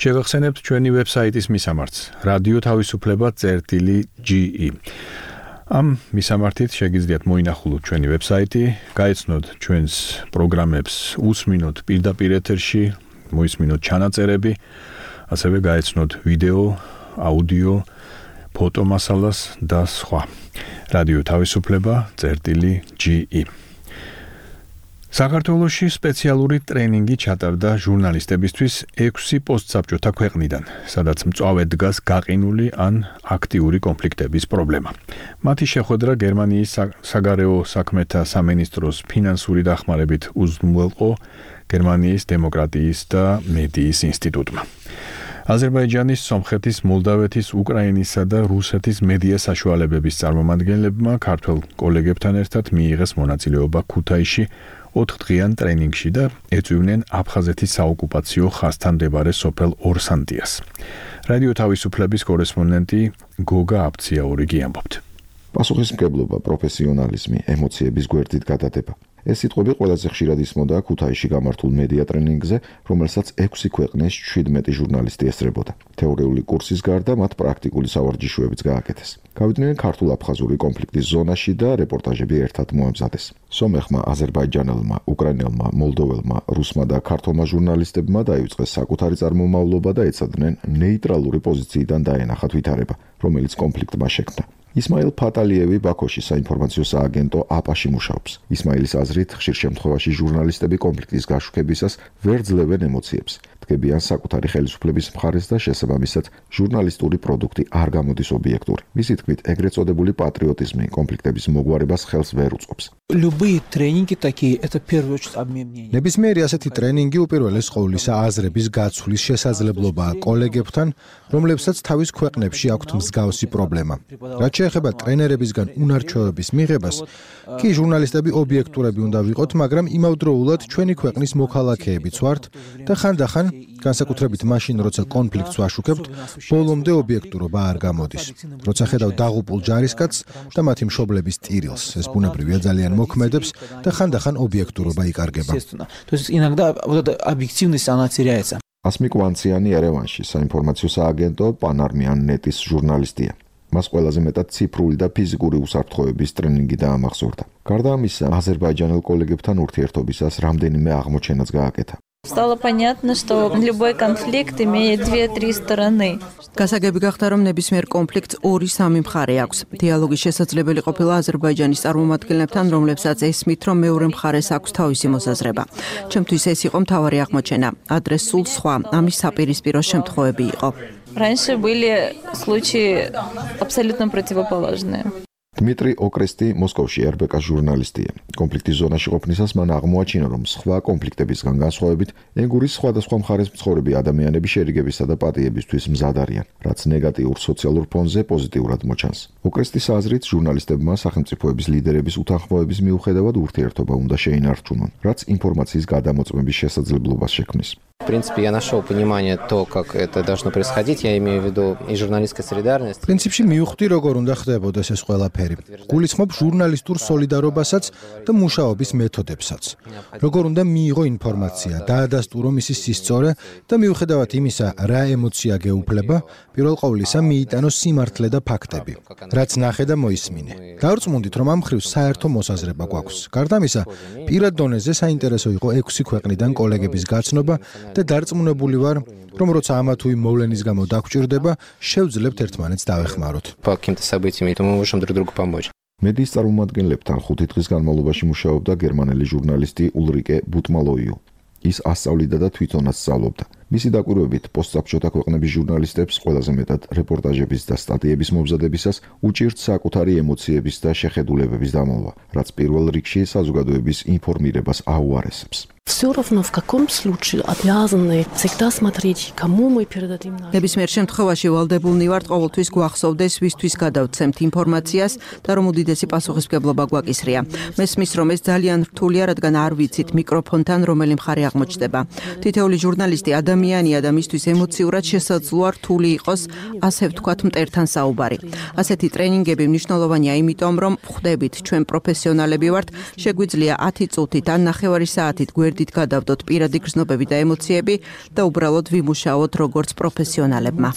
შევახსენებთ ჩვენი ვებსაიტის მისამართს რადიო თავისუფლება წერტილი ჯი ი. ამ მისამართით შეგიძლიათ მოინახულოთ ჩვენი ვებსაიტი, გაეცნოთ ჩვენს პროგრამებს, უსმინოთ პირდაპირ ეთერში, მოისმინოთ ჩანაწერები, ასევე გაეცნოთ ვიდეო, აუდიო, ფოტომასალას და სხვა. რადიო თავისუფლება წერტილი ჯი ი. საქართველოში სპეციალური ტრენინგი ჩატარდა ჟურნალისტებისთვის ექვსი პოსტსაბჭოთა ქვეყნიდან, სადაც მწვავედ დგას გაყინული ან აქტიური კონფლიქტების პრობლემა. მათი შეხვედრა გერმანიის საგარეო საქმეთა სამინისტროს ფინანსური დახმარებით უზრუნველყო გერმანიის დემოკრატიის და მედიის ინსტიტუტმა. აზერბაიჯანის, სომხეთის, მოლდავეთის, უკრაინისა და რუსეთის მედია საშუალებების წარმომადგენლებმა ქართველ კოლეგებთან ერთად მიიღეს მონაწილეობა ქუთაისში ოთხდღიან ტრენინგში და ეწვივნენ აფხაზეთის საოკუპაციო ხაზთან მდებარე სოფელ ორსანტიას. რადიო თავისუფლების კორესპონდენტი გოგა აბციაურიგი ამბობთ. პასუხისმგებლობა, პროფესიონალიზმი, ემოციების გვერდით გადადება. ეს სიტყვები ყველაზე ხშირად ისმოდა ქუთაისში გამართულ მედია ტრენინგზე, რომელსაც ექვსი ქვეყნის შვიდმეტი ჟურნალისტი ესწრებოდა. თეორიული კურსის გარდა მათ პრაქტიკული სავარჯიშოებიც გააკეთეს. გავიდნენ ქართულ-აფხაზური კონფლიქტის ზონაში და რეპორტაჟები ერთად მოამზადეს. სომეხმა, აზერბაიჯანელმა, უკრაინელმა, მოლდოველმა, რუსმა და ქართულმა ჟურნალისტებმა დაივიწყეს საკუთარი წარმომავლობა და ეცადნენ ნეიტრალური პოზიციიდან დაენახათ ვითარება, რომელიც კონფლიქტმა შექმნა. ისმაილ ფატალიევი ბაქოში საინფორმაციო სააგენტო აპაში მუშაობს. ისმაილის აზრით, ხშირ შემთხვევაში ჟურნალისტები კონფლიქტის გაშუქებისას ვერ ძლევენ ემოციებს. დგებიან საკუთარი ხელისუფლების მხარეს და შესაბამისად ჟურნალისტური პროდუქტი არ გამოდის ობიექტური. მისი თქმით, ეგრეთ წოდებული პატრიოტიზმი კონფლიქტების მოგვარებას ხელს ვერ უწყობს. Любые тренинги такие это в первую очередь обмен мнениями. ნებისმიერი ასეთი ტრენინგი უპირველეს ყოვლისა აზრების გაცვლის შესაძლებლობაა კოლეგებთან, რომლებსაც თავის ქვეყნებში აქვთ მსგავსი პრობლემა. რაც შეეხება ტრენერებისგან უნარჩვევების მიღებას, კი ჟურნალისტები ობიექტურები უნდა ვიყოთ, მაგრამ იმავდროულად ჩვენი ქვეყნის მოქალაქეებიც ვართ და ხანდახან, განსაკუთრებით მაშინ, როცა კონფლიქტს ვაშუქებთ, ბოლომდე ობიექტურობა არ გამოდის. როცა ხედავ დაღუპულ ჯარისკაცს და მათი მშობლების ტირილს, ეს ბუნებრივია ძალიან მოქმედებს და ხანდახან ობიექტურობა იკარგება. То есть иногда вот эта объективность она теряется. ასმიკ ვანციანი ერევანში საინფორმაციო სააგენტო პანარმიან ნეტის ჟურნალისტია. მას ყველაზე მეტად ციფრული და физიკური უსაფრთხოების ტრენინგი დაამახსოვრდა. გარდა ამისა, აზერბაიჯანელ კოლეგებთან ურთიერთობისას რამდენიმე აღმოჩენაც გააკეთა. Стало понятно, что любой конфликт имеет две-три стороны. გასაგები გახდა, რომ ნებისმიერ კონფლიქტს ორი-სამი მხარე აქვს. დიალოგის შესაძლებელი ყოფილა აზერბაიჯანის წარმომადგენლებთან, რომლებსაც ესმით, რომ მეორე მხარეს აქვს თავისი მოსაზრება. ჩემთვის ეს იყო მთავარი აღმოჩენა. ადრე სულ სხვა, ამის საპირისპირო შემთხვევები იყო. Раньше были случаи абсолютно противоположные. დმიტრი ოკრესტი მოსკოვში эр бэ ка ჟურნალისტია. კონფლიქტის ზონაში ყოფნისას მან აღმოაჩინა, რომ სხვა კონფლიქტებისგან განსხვავებით, ენგურის სხვადასხვა მხარეს მცხოვრები ადამიანები შერიგებისა და პატიებისთვის მზად არიან, რაც ნეგატიურ სოციალურ ფონზე პოზიტიურად მოჩანს. ოკრესტის აზრით, ჟურნალისტებმა სახელმწიფოების ლიდერების უთანხმოების მიუხედავად ურთიერთობა უნდა შეინარჩუნონ, რაც ინფორმაციის გადამოწმების შესაძლებლობას შექმნის. В принципе, я нашел понимание то, как это должно происходить, я имею в виду и журналистская солидарность. პრინციპში მივხვდი, როგორ უნდა ხდებოდეს ეს ყველაფერი. გულისხმობ ჟურნალისტურ სოლიდარობასაც და მუშაობის მეთოდებსაც. როგორ უნდა მიიღო ინფორმაცია, დაადასტურო მისი სისწორე და მიუხედავად იმისა, რა ემოცია გეუფლება, პირველ ყოვლისა მიიტანო სიმართლე და ფაქტები, რაც ნახე და მოისმინე. დავრწმუნდით, რომ ამ მხრივ საერთო მოსაზრება გვაქვს. გარდა ამისა, პირად დონეზე საინტერესო იყო ექვსი ქვეყნიდან კოლეგების გაცნობა და დარწმუნებული ვარ, რომ როცა ამა თუ იმ მოვლენის გამო დაგვჭირდება, შევძლებთ ერთმანეთს დავეხმაროთ. По каким-то событиям, то мы можем друг другу помочь. მედიის წარმომადგენლებთან ხუთი დღის განმავლობაში მუშაობდა გერმანელი ჟურნალისტი ულრიკე ბუტმალოიუ. ის ასწავლიდა და თვითონაც სწავლობდა. მისი დაკვირვებით, პოსტსაბჭოთა ქვეყნების ჟურნალისტებს ყველაზე მეტად რეპორტაჟების და სტატიების მომზადებისას უჭირთ საკუთარი ემოციების და შეხედულებების დამალვა, რაც პირველ რიგში საზოგადოების ინფორმირებას აუარესებს. Всё равно в каком случае обязаны всегда смотреть, кому мы передадим. ნებისმიერ შემთხვევაში ვალდებულნი ვართ ყოველთვის გვახსოვდეს, ვისთვის გადავცემთ ინფორმაციას და რომ უდიდესი პასუხისმგებლობა გვაკისრია. მესმის, რომ ეს ძალიან რთულია, რადგან არ ვიცით მიკროფონთან რომელი მხარე აღმოჩნდება. თითოეული ჟურნალისტი ადამიანია და მისთვის ემოციურად შესაძლოა რთული იყოს, ასე ვთქვათ, მტერთან საუბარი. ასეთი ტრენინგები მნიშვნელოვანია იმიტომ, რომ ხვდებით, ჩვენ პროფესიონალები ვართ, შეგვიძლია ათი წუთით ან ნახევარი საათით გვერდით გადავდოთ პირადი გრძნობები და ემოციები და უბრალოდ ვიმუშაოთ როგორც პროფესიონალებმა.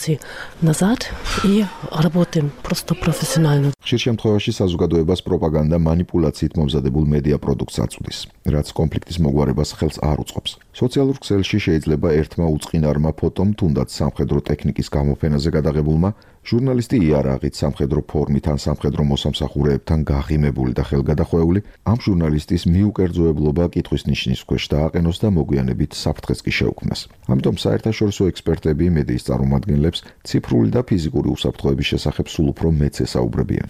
Назад и работаем просто профессионально. ხშირ შემთხვევაში საზოგადოებას პროპაგანდა манипуляციით მომზადებულ მედია პროდუქტს აწვდის, რაც კონფლიქტის მოგვარებას ხელს არ უწყობს. სოციალურ ქსელში შეიძლება ერთმა უწყინარმა ფოტომ თუნდაც სამხედრო ტექნიკის გამოფენაზე გადაღებულმა ჟურნალისტი იარაღით სამხედრო ფორმით ან სამხედრო მოსამსახურეებთან გაღიმებული და ხელგადახვეული ამ ჟურნალისტის მიუკერძოებლობა კითხვის ნიშნის ქვეშ დააყენოს და მოგვიანებით საფრთხეს კი შეუქმნას. ამიტომ საერთაშორისო ექსპერტები მედიის წარმომადგენლებს ციფრული და ფიზიკური უსაფრთხოების შესახებ სულ უფრო მეც ესაუბრებიან.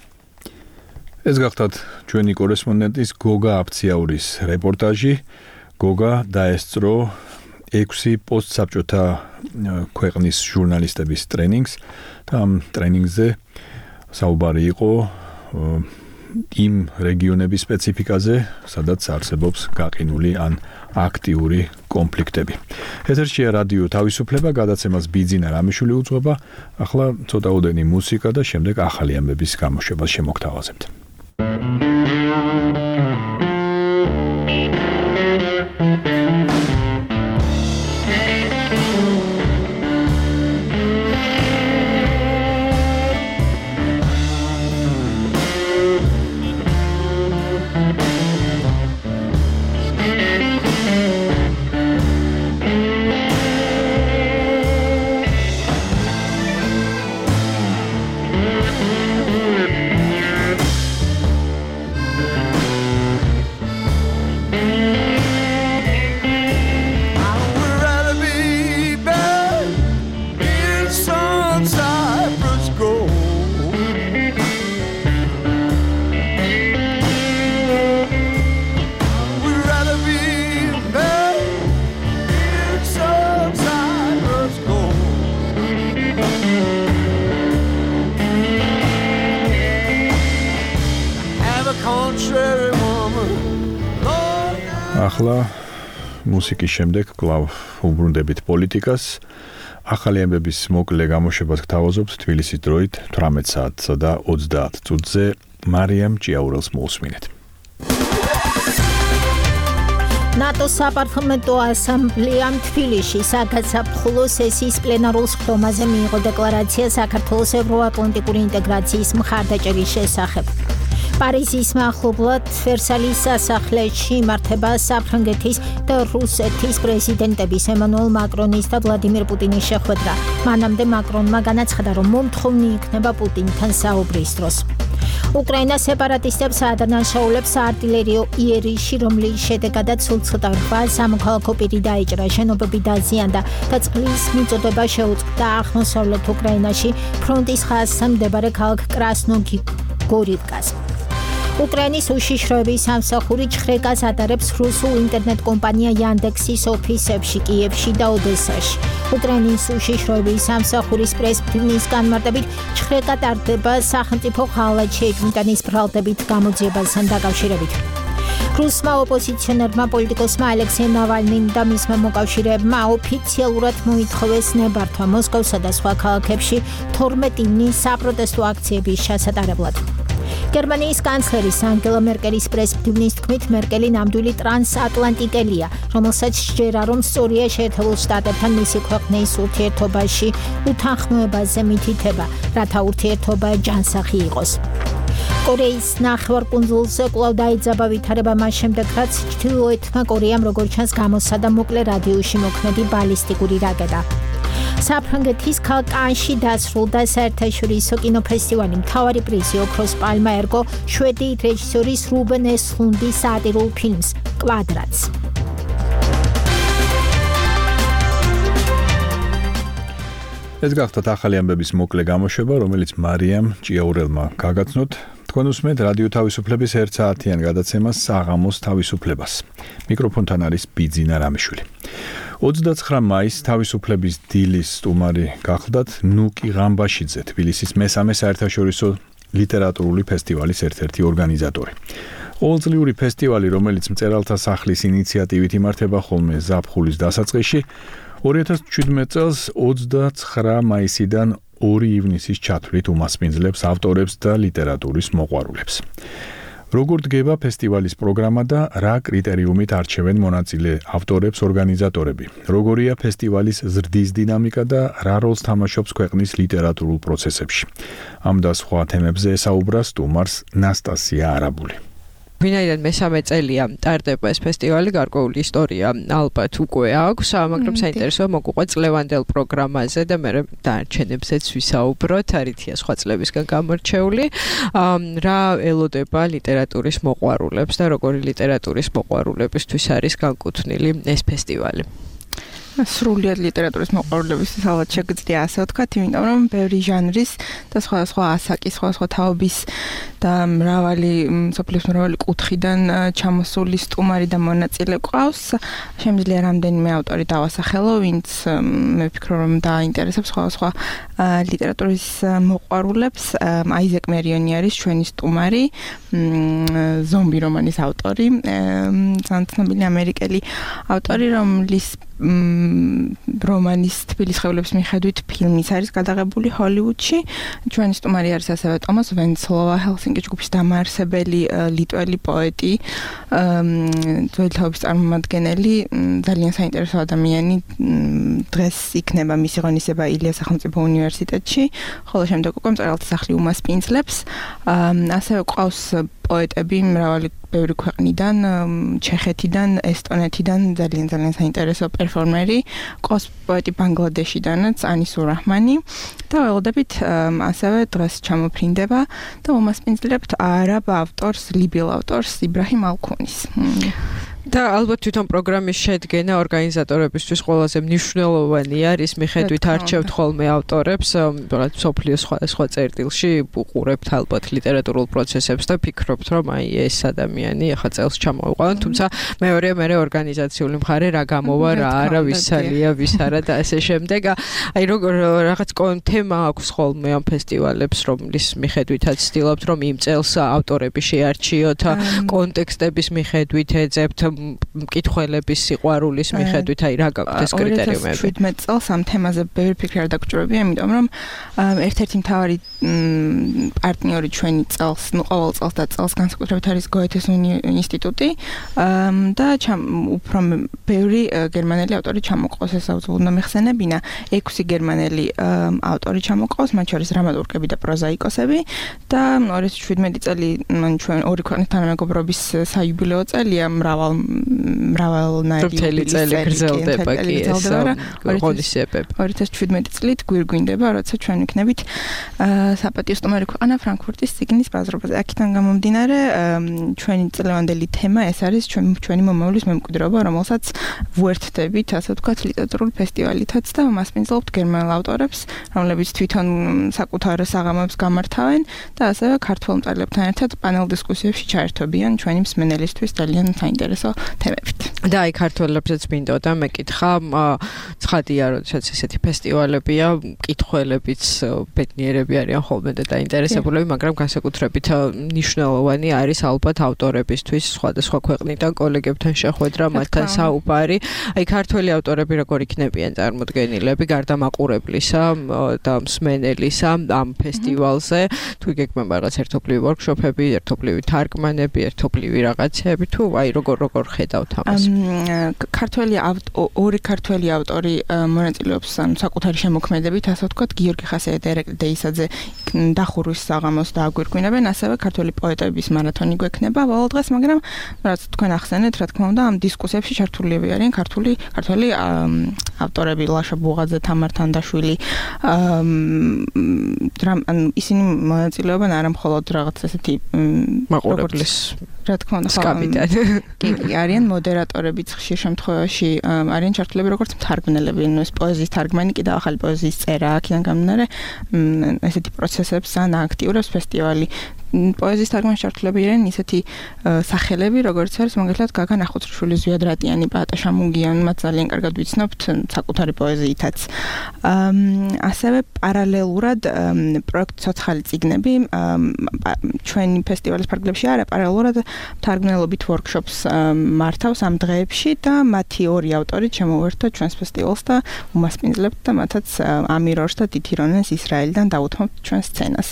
ეს გახლავთ ჩვენი კორესპონდენტის გოგა აფციაურის რეპორტაჟი. გოგა დაესწრო ექვსი პოსტსაბჭოთა ქვეყნის ჟურნალისტების ტრენინგს და ამ ტრენინგზე საუბარი იყო იმ რეგიონების სპეციფიკაზე, სადაც არსებობს გაყინული ან აქტიური კონფლიქტები. ეთერშია რადიო თავისუფლება, გადაცემას ბიძინა რამიშვილი უძღვება. ახლა ცოტაოდენი მუსიკა და შემდეგ ახალი ამბების გამოშვებას შემოგთავაზებთ. ახლა მუსიკის შემდეგ კვლავ უბრუნდებით პოლიტიკას. ახალი ამბების მოკლე გამოშვებას გთავაზობთ თბილისის დროით თვრამეტ საათსა და ოცდაათ წუთზე. მარიამ ჭიაურელს მოусმინეთ. ნატოს საპარლამენტო ასამბლეამ თბილისში საგაზაფხულო სესიის პლენარულ სხდომაზე მიიღო დეკლარაცია საქართველოს ევროატლანტიკური ინტეგრაციის მხარდაჭერის შესახებ. პარიზის მახლობლად ვერსალის სასახლეში იმართება საფრანგეთის და რუსეთის პრეზიდენტების ემანუელ მაკრონის და ვლადიმერ პუტინის შეხვედრა. მანამდე მაკრონმა განაცხადა, რომ მომთხოვნი იქნება პუტინთან საუბრის დროს. უკრაინას სეპარატისტებს ადანაშაულებს საარტილერიო იერიში, რომლის შედეგადაც სულ ცოტა რვა სამოქალაქო პირი დაიჭრა, შენობები დაზიანდა და წყლის მიწოდება შეუწყდა აღმოსავლეთ უკრაინაში ფრონტის ხაზთან მდებარე ქალაქ კრასნოგორივკას. უკრაინის უშიშროების სამსახური ჩხრეკას ატარებს რუსულ ინტერნეტ კომპანია Yandex-ის ოფისებში კიევში და ოდესაში. უკრაინის უშიშროების სამსახურის პრესპრიმის განმარტებით ჩხრეკა ტარდება სახელმწიფო ხალხად შეიქმნიტანის ბრალდებით გამოძიებასთან დაკავშირებით. რუსმა ოპოზიციონერმა პოლიტიკოსმა ალექსეი ნავალნიმ და მისმა მოკავშირეებმა ოფიციალურად მოითხოვეს ნებართვა მოსკოვსა და სხვა ქალაქებში თორმეტი ივნის საპროტესტო აქციების ჩასატარებლად. გერმანიის კანცლერის ანგელა მერკელის პრესპრიმის თქმით, მერკელი ნამდვილი ტრანსატლანტიკელია, რომელსაც სჯერა, რომ სწორია შეერთებულ შტატებთან მისი ქვეყნის ურთიერთობაში უთანხმოებაზე მითითება, რათა ურთიერთობა ჯანსაღი იყოს. კორეის ნახევარკუნძულზე კვლავ დაიძაბა ვითარება მას შემდეგ, რაც ჩრდილოეთმა კორეამ როგორც ჩანს გამოსცადა მოკლე რადიუსში მოქმედი ბალისტიკური რაკეტა. საფრანგეთის ქალაქ კანში დასრულდა საერთაშორისო კინოფესტივალი. მთავარი პრიზი ოქროს პალმა ერგო შვედი რეჟისორის რუბენ ესლუნდის სატირულ ფილმს კვადრატს. ეს გახდათ ახალი ამბების მოკლე გამოშვება, რომელიც მარიამ ჭიაურელმა გაგაცნოთ. თქვენ უსმენთ რადიო თავისუფლების ერთ საათიან გადაცემას საღამოს თავისუფლებას. მიკროფონთან არის ბიძინა რამიშვილი. ოცდაცხრა მაისს თავისუფლების დილის სტუმარი გახლდათ ნუკი ღამბაშიძე, თბილისის მესამე საერთაშორისო ლიტერატურული ფესტივალის ერთ-ერთი ორგანიზატორი. ყოველწლიური ფესტივალი, რომელიც მწერალთა სახლის ინიციატივით იმართება ხოლმე ზაფხულის დასაწყისში, ორი ათას შვიდმეტ წელს ოცდაცხრა მაისიდან ორი ივნისის ჩათვლით უმასპინძლებს ავტორებს და ლიტერატურის მოყვარულებს. როგორ დგება ფესტივალის პროგრამა და რა კრიტერიუმით არჩევენ მონაწილე ავტორებს ორგანიზატორები? როგორია ფესტივალის ზრდის დინამიკა და რა როლს თამაშობს ქვეყნის ლიტერატურულ პროცესებში? ამ და სხვა თემებზე ესაუბრა სტუმარს ნასტასია არაბული. ვინაიდან მესამე წელია ტარდება ეს ფესტივალი, გარკვეული ისტორია ალბათ უკვე აქვს, მაგრამ საინტერესოა მოგვიყვეთ წლევანდელ პროგრამაზე და მე დარჩენებზეც ვისაუბროთ, არითია სხვა წლებისგან გამორჩეული, რა ელოდება ლიტერატურის მოყვარულებს და როგორი ლიტერატურის მოყვარულებისთვის არის განკუთვნილი ეს ფესტივალი. სრულიად ლიტერატურის მოყვარულებისთვის ალბათ შეგიძლია ასე ვთქვათ, იმიტომ რომ ბევრი ჟანრის და სხვადასხვა ასაკის, სხვადასხვა თაობის და მრავალი სოფლის მრავალი კუთხიდან ჩამოსული სტუმარი და მონაწილე ყავს. შემიძლია რამდენიმე ავტორი დავასახელო, ვინც მე ვფიქრობ რომ დაინტერესებს სხვადასხვა ლიტერატურის მოყვარულებს. აიზეკ მერიონი არის ჩვენი სტუმარი, ზომბი რომანის ავტორი, ძალიან ცნობილი ამერიკელი ავტორი, რომლის რომანის თბილის ხევლების მიხედვით ფილმიც არის გადაღებული ჰოლივუდში. ჩვენი სტუმარი არის ასევე ტომას ვენცლოვა, ჰელსინკის ჯგუფის დამაარსებელი ლიტველი პოეტი, ძველი თაობის წარმომადგენელი, ძალიან საინტერესო ადამიანი. დღეს იქნება მისი ღონისება ილიას სახელმწიფო უნივერსიტეტში, ხოლო შემდეგ უკვე მწერალთა სახლი უმასპინძლებს. ასევე ყავს პოეტები მრავალი ბევრი ქვეყნიდან, ჩეხეთიდან, ესტონეთიდან, ძალიან ძალიან საინტერესო პერფორმერი, ყავს პოეტი ბანგლადეშიდანაც, ანისურ რაჰმანი და ველოდებით ასევე დღეს ჩამოფრინდება და უმასპინძლებთ არაბ ავტორს, ლიბიელ ავტორს იბრაჰიმ ალქუნის. და ალბათ თვითონ პროგრამის შედგენა ორგანიზატორებისთვის ყველაზე მნიშვნელოვანი არის, მიხედვით არჩევთ ხოლმე ავტორებს, რაღაც სოფლიოს სხვადასხვა წერტილში უყურებთ ალბათ ლიტერატურულ პროცესებს და ფიქრობთ, რომ აი ეს ადამიანი ახლა წელს ჩამოვიყვანოთ, თუმცა მეორე მე ორგანიზაციული მხარე რა გამოვა, რა არა, ვის ალია, ვის არა და ასე შემდეგ. აი როგორ რაღაც თემა აქვს ხოლმე ამ ფესტივალებს, რომლის მიხედვითაც ცდილობთ, რომ იმ წელს ავტორები შეარჩიოთ, კონტექსტების მიხედვით ეძებთ მკითხველების სიყვარულის მიხედვით, აი რა გაქვთ ეს კრიტერიუმები? ორი ათას შვიდმეტ წელს ამ თემაზე ბევრი ფიქრი არ დაგჭირებია, იმიტომ რომ ერთ-ერთი მთავარი პარტნიორი ჩვენი წელს, ნუ ყოველ წელს და წელს განსაკუთრებით არის გოეთეს ინსტიტუტი და უფრო ბევრი გერმანელი ავტორი ჩამოყავს, ეს უნდა მეხსენებინა, ექვსი გერმანელი ავტორი ჩამოყავს, მათ შორის დრამატურგები და პროზაიკოსები და ორი ათას შვიდმეტი წელი ჩვენ ორი ქვეყნის თანამეგობრობის საიუბილეო წელია, მრავალ მრავალნაირი მთელი წელი გრძელდება კი ეს ღონისძიებები. ორი ათას შვიდმეტი წლით გვირგვინდება, როცა ჩვენ ვიქნებით საპატიო სტუმარი ქვეყანა ფრანკფურტის წიგნის ბაზრობაზე. აქედან გამომდინარე, ჩვენი წლევანდელი თემა ეს არის ჩვენი მომავლის მემკვიდრეობა, რომელსაც ვუერთდებით, ასე ვთქვათ, ლიტერატურული ფესტივალითაც და მასპინძლობთ გერმანელ ავტორებს, რომლებიც თვითონ საკუთარ საღამოებს გამართავენ და ასევე ქართველ მწერლებთან ერთად პანელ დისკუსიებში ჩაერთვებიან ჩვენი მსმენელისთვის ძალიან საინტერესო თემებით. და აი ქართველებსაც მინდოდა მეკითხა, ცხადია, როდესაც ესეთი ფესტივალებია, მკითხველებიც ბედნიერები არიან ხოლმე და დაინტერესებულები, მაგრამ განსაკუთრებით მნიშვნელოვანი არის ალბათ ავტორებისთვის სხვადასხვა ქვეყნიდან კოლეგებთან შეხვედრა, მათთან საუბარი. აი ქართველი ავტორები როგორ იქნებიან წარმოდგენილები გარდა მაყურებლისა და მსმენელისა ამ ფესტივალზე, თუ გეკმება რაღაც ერთობლივი ვორქშოპები, ერთობლივი თარგმანები, ერთობლივი რაღაცები, თუ აი როგორ როგორ ხედავთ ამას? ქართველი ორი ქართველი ავტორი მონაწილეობს საკუთარი შემოქმედებით, ასე ვთქვათ, გიორგი ხასია და ერეკლე დეისაძე დახურვის საღამოს დააგვირგვინებენ, ასევე ქართველი პოეტების მარათონი გვექნება ბოლო დღეს, მაგრამ რაც თქვენ ახსენეთ, რა თქმა უნდა, ამ დისკუსიებში ჩართულები არიან ქართული ქართველი ავტორები, ლაშა ბუღაძე, თამარ თანდაშვილი, ისინი მონაწილეობენ არა მხოლოდ რაღაც ესეთი მაყურებლის რა თქმა უნდა, სკამიდან. კი, არიან მოდერატორებიც ხშირ შემთხვევაში, არიან ჩართულები როგორც მთარგმნელები, ნუ ეს პოეზიის თარგმანი კიდევ ახალი პოეზიის წერა, აქედან გამომდინარე, ესეთი პროცესებს ან აქტიურებს ფესტივალი. პოეზიის თარგმანში ჩართულები არიან ისეთი სახელები, როგორც არის მაგალითად გაგა ნახუცრიშვილი, ზვიად რატიანი, პაატა შამუგიანი, მათ ძალიან კარგად ვიცნობთ საკუთარი პოეზიითაც. ასევე პარალელურად პროექტ ცოცხალი წიგნები ჩვენი ფესტივალის ფარგლებში არა, პარალელურად თარგმნელობით ვორქშოპს მართავს ამ დღეებში და მათი ორი ავტორი შემოვერთდა ჩვენს ფესტივალს და უმასპინძლებთ და მათაც ამირორს და დითირონეს ისრაელიდან დაუთმობთ ჩვენ სცენას.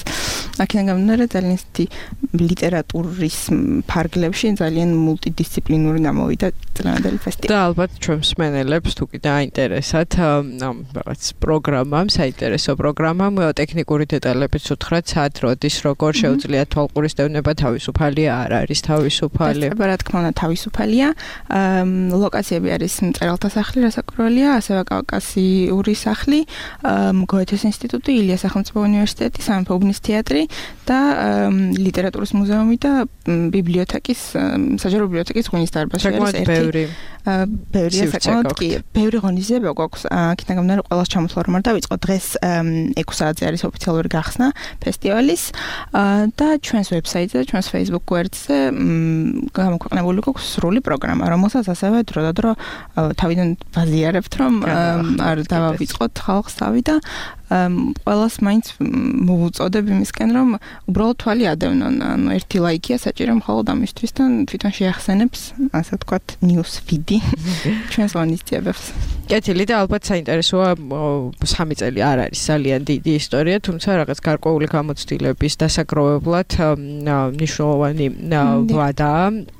აქედან გამომდინარე ძალიან ლიტერატურის ფარგლებში ძალიან მულტიდისციპლინური გამოვიდა წლევანდელი ფესტივალი. და ალბათ ჩვენ მსმენელებს თუ კიდე აინტერესათ ამ რაღაც პროგრამამ, საინტერესო პროგრამამ, ტექნიკური დეტალებიც უთხრათ, სად, როდის, როგორ შეუძლია თვალყურისდევნება თავისუფალია, არ არის თავისუფალი? რა თქმა უნდა, თავისუფალია. ლოკაციები არის მწერალთა სახლი, რასაკვირველია, ასევე კავკასიური სახლი, გოეთეს ინსტიტუტი, ილიას სახელმწიფო უნივერსიტეტი, სამეფო უბნის თეატრი და ლიტერატურის მუზეუმი და ბიბლიოთეკის, საჯარო ბიბლიოთეკის ღვინის დარბაზი არის ერთი. ბევრია საკმაოდ კი, ბევრი ღონისძიება გვაქვს. აქედან გამომდინარე, ყველას ჩამოსვლა რომ არ დავიწყო, დღეს ექვსი საათზე არის ოფიციალური გახსნა ფესტივალის და ჩვენს ვებსაიტზე, ჩვენს Facebook გვერდზე გამოქვეყნებული გვაქვს სრული პროგრამა, რომელსაც ასევე დროდადრო თავიდან ვაზიარებთ, რომ არ დავავიწყოთ ხალხს თავი და ყველას მაინც მოვუწოდებ იმისკენ, რომ უბრალოდ თვალი ადევნონ. ანუ ერთი ლაიქია საჭირო მხოლოდ ამისთვის და თვითონ შეახსენებს, ასე ვთქვათ, news feed-ი ჩვენს ღონისძიებებს. კეთილი და ალბათ საინტერესოა სამი წელი არ არის ძალიან დიდი ისტორია, თუმცა რაღაც გარკვეული გამოცდილების დასაგროვებლად მნიშვნელოვანი ვადაა.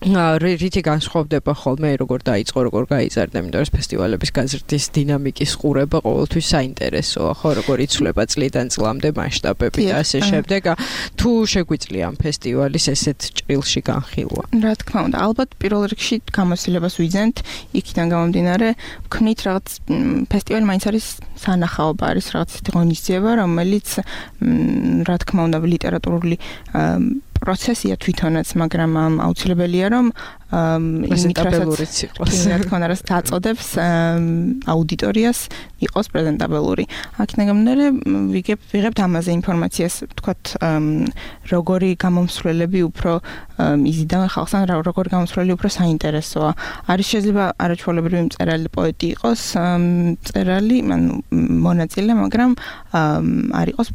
რითი განსხვავდება ხოლმე როგორ დაიწყო, როგორ გაიზარდა, იმიტომ რომ ფესტივალების გაზრდის დინამიკის ყურება ყოველთვის საინტერესოა, ხო, როგორ იცვლება წლიდან წლამდე მასშტაბები და ასე შემდეგ. თუ შეგვიძლია ამ ფესტივალის ესეთ ჭრილში განხილვა. რა თქმა უნდა, ალბათ პირველ რიგში გამოცდილებას ვიძენთ, იქიდან გამომდინარე, ვქნით რაღაც ფესტივალი მაინც არის სანახაობა, არის რაღაც ისეთი ღონისძიება, რომელიც რა თქმა უნდა ლიტერატურული პროცესია თვითონაც, მაგრამ აუცილებელია რომ პრეზენტაბელურიც იყოს. რა თქმა უნდა, რაც დაწოდებს აუდიტორიას იყოს პრეზენტაბელური. აქედან გამომდინარე, ვიგებ ვიღებთ ამაზე ინფორმაციას, ვთქვათ, როგორი გამომსვლელები უფრო იზიდავენ ხალხს, ან როგორი გამომსვლელი უფრო საინტერესოა. არის შეიძლება არაჩვეულებრივი მწერალი პოეტი იყოს, მწერალი, ანუ მონაწილე, მაგრამ არ იყოს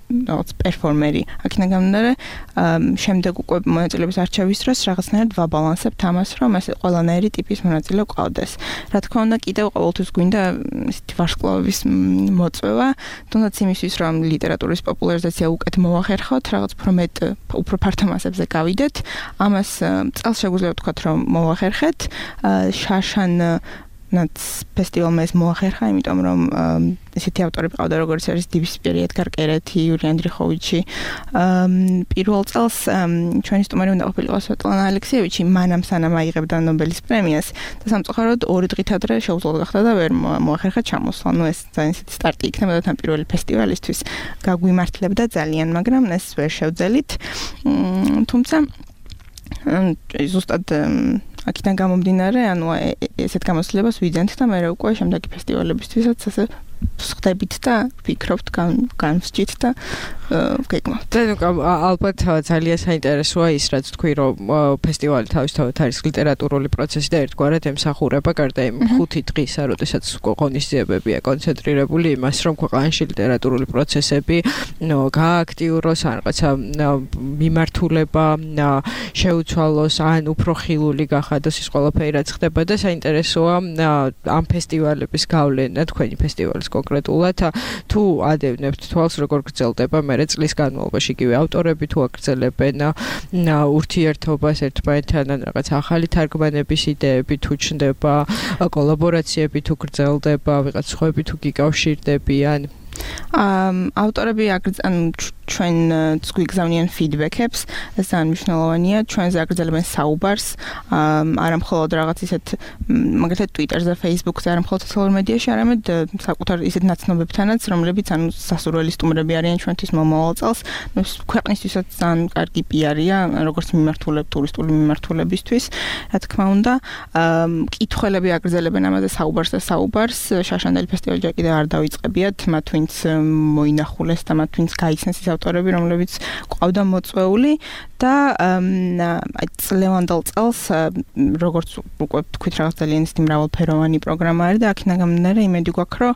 რაღაც პერფორმერი. აქედან გამომდინარე, შემდეგ უკვე მონაწილეების არჩევის დროს რაღაცნაირად ვაბალანსებთ ამას, რომ ეს ყველანაირი ტიპის მონაწილე გვყავდეს. რა თქმა უნდა, კიდევ ყოველთვის გვინდა ისეთი ვარსკვლავების მოწვევა, თუნდაც იმისთვის, რომ ლიტერატურის პოპულარიზაცია უკეთ მოვახერხოთ, რაღაც უფრო მეტ, უფრო ფართო მასებზე გავიდეთ. ამას წელს შეგვიძლია ვთქვათ, რომ მოვახერხეთ. შაშან ნაც ფესტივალმა ეს მოახერხა, იმიტომ რომ ესეთი ავტორები ყავდა, როგორც არის დიბისპირი, ედგარ კერეთი, იური ანდრიხოვიჩი. პირველ წელს ჩვენი სტუმარი უნდა ყოფილიყო სვეტლანა ალექსიევიჩი, მანამ სანამ აიღებდა ნობელის პრემიას და სამწუხაროდ ორი დღით ადრე შეუძლოდ გახდა და ვერ მოახერხა ჩამოსვლა. ნუ ეს ძალიან ისეთი სტარტი იქნებოდა თან პირველი ფესტივალისთვის. გაგვიმართლებდა ძალიან, მაგრამ ეს ვერ შევძელით. თუმცა ზუსტად აქედან გამომდინარე, ანუ ესეთ გამოცდილებას ვიძენთ და მე უკვე შემდეგი ფესტივალებისთვისაც ასე ვხდებით და ვფიქრობთ, განვსჯით და ვგეგმავთ. ალბათ ძალიან საინტერესოა ის, რაც თქვი, რომ ფესტივალი თავისთავად არის ლიტერატურული პროცესი და ერთგვარად ემსახურება გარდა იმ ხუთი დღისა, როდესაც ღონისძიებებია კონცენტრირებული იმას, რომ ქვეყანაში ლიტერატურული პროცესები გააქტიუროს, ან რაღაცა მიმართულება შეუცვალოს, ან უფრო ხილული გახადოს ის ყველაფერი, რაც ხდება და საინტერესოა ამ ფესტივალების გავლენა თქვენი ფესტივალის კონკრეტულად თუ ადევნებთ თვალს როგორ გრძელდება მერე წლის განმავლობაში იგივე ავტორები თუ აგრძელებენ ურთიერთობას ერთმანეთთან ან რაღაც ახალი თარგმანების იდეები თუ ჩნდება კოლაბორაციები თუ გრძელდება ვიღაც სხვები თუ გიკავშირდებიან ავტორები ანუ ჩვენც გვიგზავნიან ფიდბექებს, ეს ძალიან მნიშვნელოვანია, ჩვენზე აგრძელებენ საუბარს, არა მხოლოდ რაღაც ისეთ მაგალითად Twitter-ზე, Facebook-ზე, არა მხოლოდ სოციალურ მედიაში, არამედ საკუთარ ისეთ ნაცნობებთანაც, რომლებიც ანუ სასურველი სტუმრები არიან ჩვენთვის მომავალ წელს, ნუ ქვეყნისთვისაც ძალიან კარგი პიარია, როგორც მიმართულებ ტურისტული მიმართულებისთვის, რა თქმა უნდა, კითხველები აგრძელებენ ამაზე საუბარს და საუბარს, შაშანდელი ფესტივალი ჯერ კიდევ არ დავიწყებიათ, მათ ვინც მოინახულეს და მათ ვინც გაიცნეს ის ავტორები, რომლებიც ყავდა მოწვეული და აი წლევანდელ წელს როგორც უკვე თქვით რაღაც ძალიან ისეთი მრავალფეროვანი პროგრამა არის და აქედან გამომდინარე იმედი გვაქვს, რომ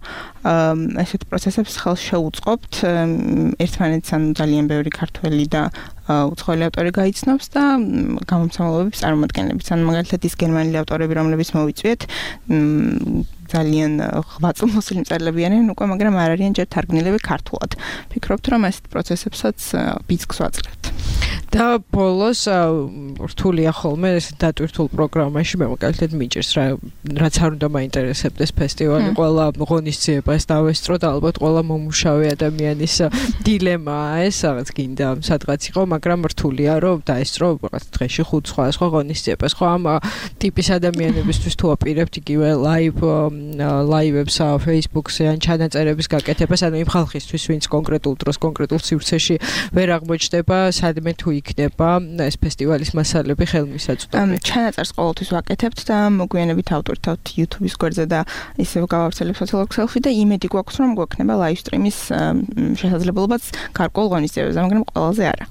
ესეთ პროცესებს ხელს შეუწყობთ ერთმანეთს ანუ ძალიან ბევრი ქართველი და უცხოელი ავტორი გაიცნობს და გამომცემლობების წარმომადგენლებს. ანუ მაგალითად ის გერმანელი ავტორები, რომლებიც მოვიწვიეთ, ძალიან ღვაწლმოსილი მწერლები არიან უკვე, მაგრამ არ არიან ჯერ თარგმნილები ქართულად. ფიქრობთ, რომ ეს პროცესებსაც ბიძგს ვაძლევთ. და ბოლოს რთულია ხოლმე ეს დატვირთულ პროგრამაში მე მაგალითად მიჭირს რა რაც არ უნდა მაინტერესებდეს ფესტივალი ყველა ღონისძიებას დავესწრო და ალბათ ყველა მომუშავე ადამიანის დილემაა ეს რაღაც გინდა სადღაც იყო მაგრამ რთულია რომ დაესწრო რაღაც დღეში ხუთ სხვა სხვა ღონისძიებას ხო ამ ტიპის ადამიანებისთვის თუ აპირებთ იგივე ლაივ ლაივებს Facebook-ზე ან ჩანაწერების გაკეთებას ანუ იმ ხალხისთვის ვინც კონკრეტულ დროს კონკრეტულ სივრცეში ვერ აღმოჩნდება სადმე თუ იქნება ეს ფესტივალის მასალები ხელმისაწვდომი? ჩანაწერს ყოველთვის ვაკეთებთ და მოგვიანებით ავტორთავთ YouTube-ის გვერდზე და ისევ გავავრცელებთ სოციალურ ქსელში და იმედი გვაქვს რომ გვექნება live stream-ის შესაძლებლობაც გარკვეულ ღონისძიებებზე, მაგრამ ყველაზე არა.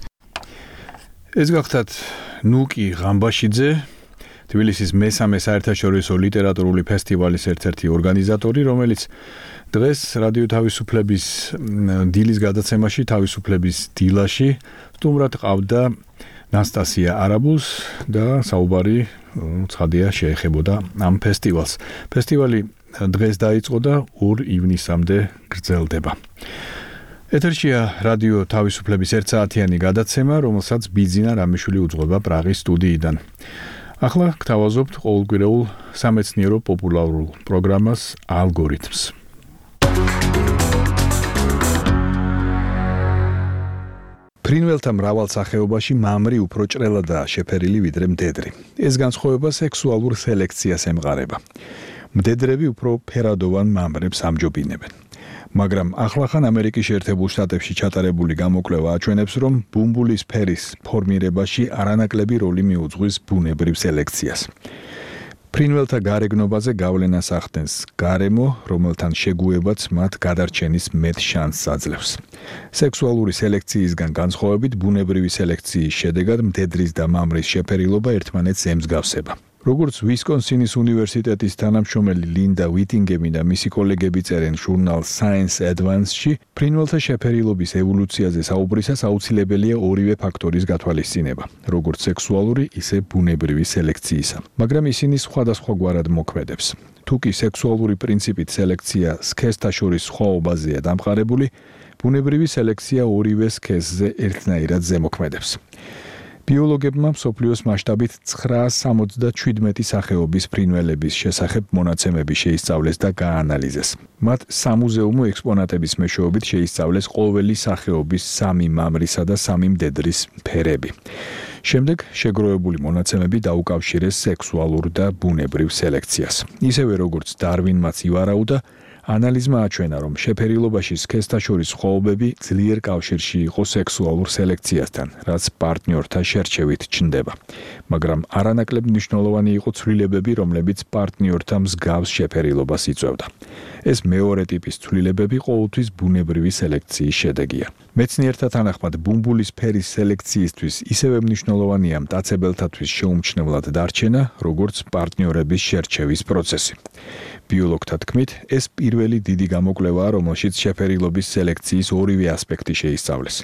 ეს გახდათ ნუკი ღამბაშიძე, თბილისის მესამე საერთაშორისო ლიტერატურული ფესტივალის ერთ-ერთი ორგანიზატორი, რომელიც დღეს რადიო თავისუფლების დილის გადაცემაში, თავისუფლების დილაში სტუმრად ყავდა ნასტასია არაბულს და საუბარი ცხადია შეეხებოდა ამ ფესტივალს. ფესტივალი დღეს დაიწყო და ორ ივნისამდე გრძელდება. ეთერშია რადიო თავისუფლების ერთ საათიანი გადაცემა, რომელსაც ბიძინა რამიშვილი უძღვება პრაღის სტუდიიდან. ახლა გთავაზობთ ყოველკვირეულ სამეცნიერო პოპულარულ პროგრამას ალგორითმს. ფრინველთა მრავალ სახეობაში მამრი უფრო ჭრელადაა შეფერილი ვიდრე მდედრი. ეს განსხვავება სექსუალურ სელექციას ემყარება. მდედრები უფრო ფერადოვან მამრებს ამჯობინებენ. მაგრამ ახლახან ამერიკის შეერთებულ შტატებში ჩატარებული გამოკვლევა აჩვენებს, რომ ბუმბულის ფერის ფორმირებაში არანაკლები როლი მიუძღვის ბუნებრივ სელექციას. ფრინველთა გარეგნობაზე გავლენას ახდენს გარემო, რომელთან შეგუებაც მათ გადარჩენის მეტ შანსს აძლევს. სექსუალური სელექციისგან განსხვავებით, ბუნებრივი სელექციის შედეგად მდედრის და მამრის შეფერილობა ერთმანეთს ემსგავსება. როგორც ვისკონსინის უნივერსიტეტის თანამშრომელი ლინდა ვიტინგემი და მისი კოლეგები წერენ ჟურნალ Science Advance-ში, ფრინველთა შეფერილობის ევოლუციაზე საუბრისას აუცილებელია ორივე ფაქტორის გათვალისწინება, როგორც სექსუალური, ისე ბუნებრივი სელექციისა. მაგრამ ისინი სხვადასხვაგვარად მოქმედებს. თუკი სექსუალური პრინციპით სელექცია სქესთა შორის სხვაობაზეა დამყარებული, ბუნებრივი სელექცია ორივე სქესზე ერთნაირად ზემოქმედებს. ბიოლოგებმა მსოფლიოს მასშტაბით ცხრაას სამოცდაშვიდმეტი სახეობის ფრინველების შესახებ მონაცემები შეისწავლეს და გაანალიზეს. მათ სამუზეუმო ექსპონატების მეშვეობით შეისწავლეს ყოველი სახეობის სამი მამრისა და სამი მდედრის ფერები. შემდეგ შეგროვებული მონაცემები დაუკავშირეს სექსუალურ და ბუნებრივ სელექციას. ისევე როგორც დარვინმაც ივარაუდა, ანალიზმა აჩვენა, რომ შეფერილობაში სქესთა შორის სხვაობები ძლიერ კავშირში იყო სექსუალურ სელექციასთან, რაც პარტნიორთა შერჩევით ჩნდება. მაგრამ არანაკლებ მნიშვნელოვანი იყო ცვლილებები, რომლებიც პარტნიორთა მსგავს შეფერილობას იწვევდა. ეს მეორე ტიპის ცვლილებები ყოველთვის ბუნებრივი სელექციის შედეგია. მეცნიერთა თანახმად, ბუმბულის ფერის სელექციისთვის ისევე მნიშვნელოვანია მტაცებელთათვის შეუმჩნევლად დარჩენა, როგორც პარტნიორების შერჩევის პროცესი. ბიოლოგთა თქმით, ეს პირველი დიდი გამოკვლევაა, რომელშიც შეფერილობის სელექციის ორივე ასპექტი შეისწავლეს.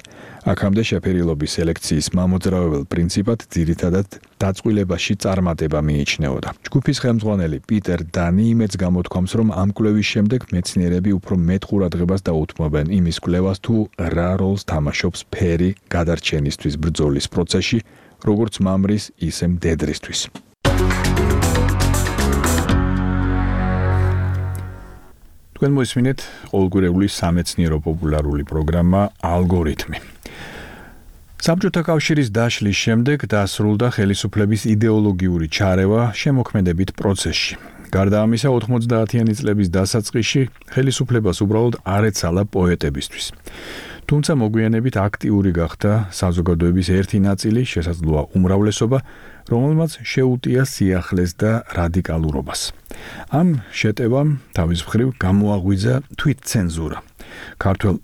აქამდე შეფერილობის სელექციის მამოძრავებელ პრინციპად ძირითადად დაწყვილებაში წარმატება მიიჩნეოდა. ჯგუფის ხელმძღვანელი პიტერ დანი იმედს გამოთქვამს, რომ ამ კვლევის შემდეგ მეცნიერები უფრო მეტ ყურადღებას დაუთმობენ იმის კვლევას, თუ რა როლს თამაშობს ფერი გადარჩენისთვის ბრძოლის პროცესში, როგორც მამრის, ისე მდედრისთვის. თქვენ მოისმინეთ ყოველკვირეული სამეცნიერო პოპულარული პროგრამა ალგორითმი. საბჭოთა კავშირის დაშლის შემდეგ დასრულდა ხელისუფლების იდეოლოგიური ჩარევა შემოქმედებით პროცესში. გარდა ამისა, ოთხმოცდაათიანი წლების დასაწყისში ხელისუფლებას უბრალოდ არ ეცალა პოეტებისთვის. თუმცა მოგვიანებით აქტიური გახდა საზოგადოების ერთი ნაწილი, შესაძლოა უმრავლესობა, რომელმაც შეუტია სიახლეს და რადიკალურობას. ამ შეტევამ თავის მხრივ გამოაღვიძა თვითცენზურა. ქართველ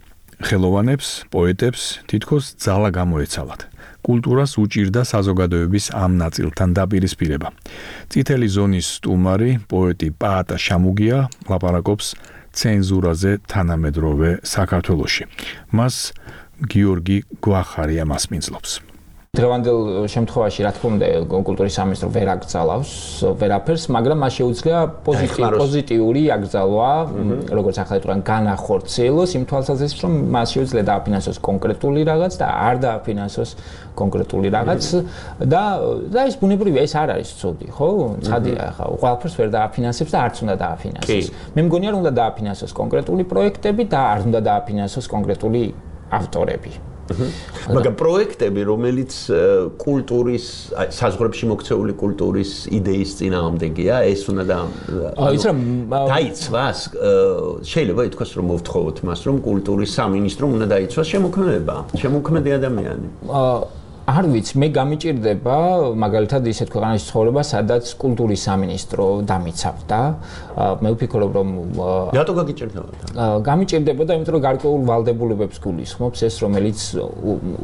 ხელოვანებს, პოეტებს თითქოს ძალა გამოეცალათ. კულტურას უჭირდა საზოგადოების ამ ნაწილთან დაპირისპირება. წითელი ზონის სტუმარი, პოეტი პაატა შამუგია ლაპარაკობს ცენზურაზე თანამედროვე საქართველოში. მას გიორგი გვახარია მასპინძლობს. დღევანდელ შემთხვევაში რა თქმა უნდა კულტურის სამინისტრო ვერ აკრძალავს ვერაფერს, მაგრამ მას შეუძლია პოზიტიური აკრძალვა, როგორც ახლა იტყვიან, განახორციელოს იმ თვალსაზრისით, რომ მას შეუძლია დააფინანსოს კონკრეტული რაღაც და არ დააფინანსოს კონკრეტული რაღაც და და ეს ბუნებრივია, ეს არ არის ცუდი, ხო? ცხადია, ახლა ყველაფერს ვერ დააფინანსებს და არც უნდა დააფინანსოს. მე მგონია, რომ უნდა დააფინანსოს კონკრეტული პროექტები და არ უნდა დააფინანსოს კონკრეტული ავტორები. მაგრამ პროექტები, რომელიც კულტურის, საზღვრებში მოქცეული კულტურის იდეის წინააღმდეგია, ეს უნდა და იცი რა დაიცვას, შეიძლება ითქვას, რომ მოვთხოვოთ მას, რომ კულტურის სამინისტრომ უნდა დაიცვას შემოქმედება, შემოქმედი ადამიანი. არ ვიცი, მე გამიჭირდება მაგალითად ისეთ ქვეყანაში ცხოვრება, სადაც კულტურის სამინისტრო დამიცავდა. მე ვფიქრობ, რომ რატო გაგიჭირდებოდა? გამიჭირდებოდა, იმიტომ რომ გარკვეულ ვალდებულებებს გულისხმობს ეს, რომელიც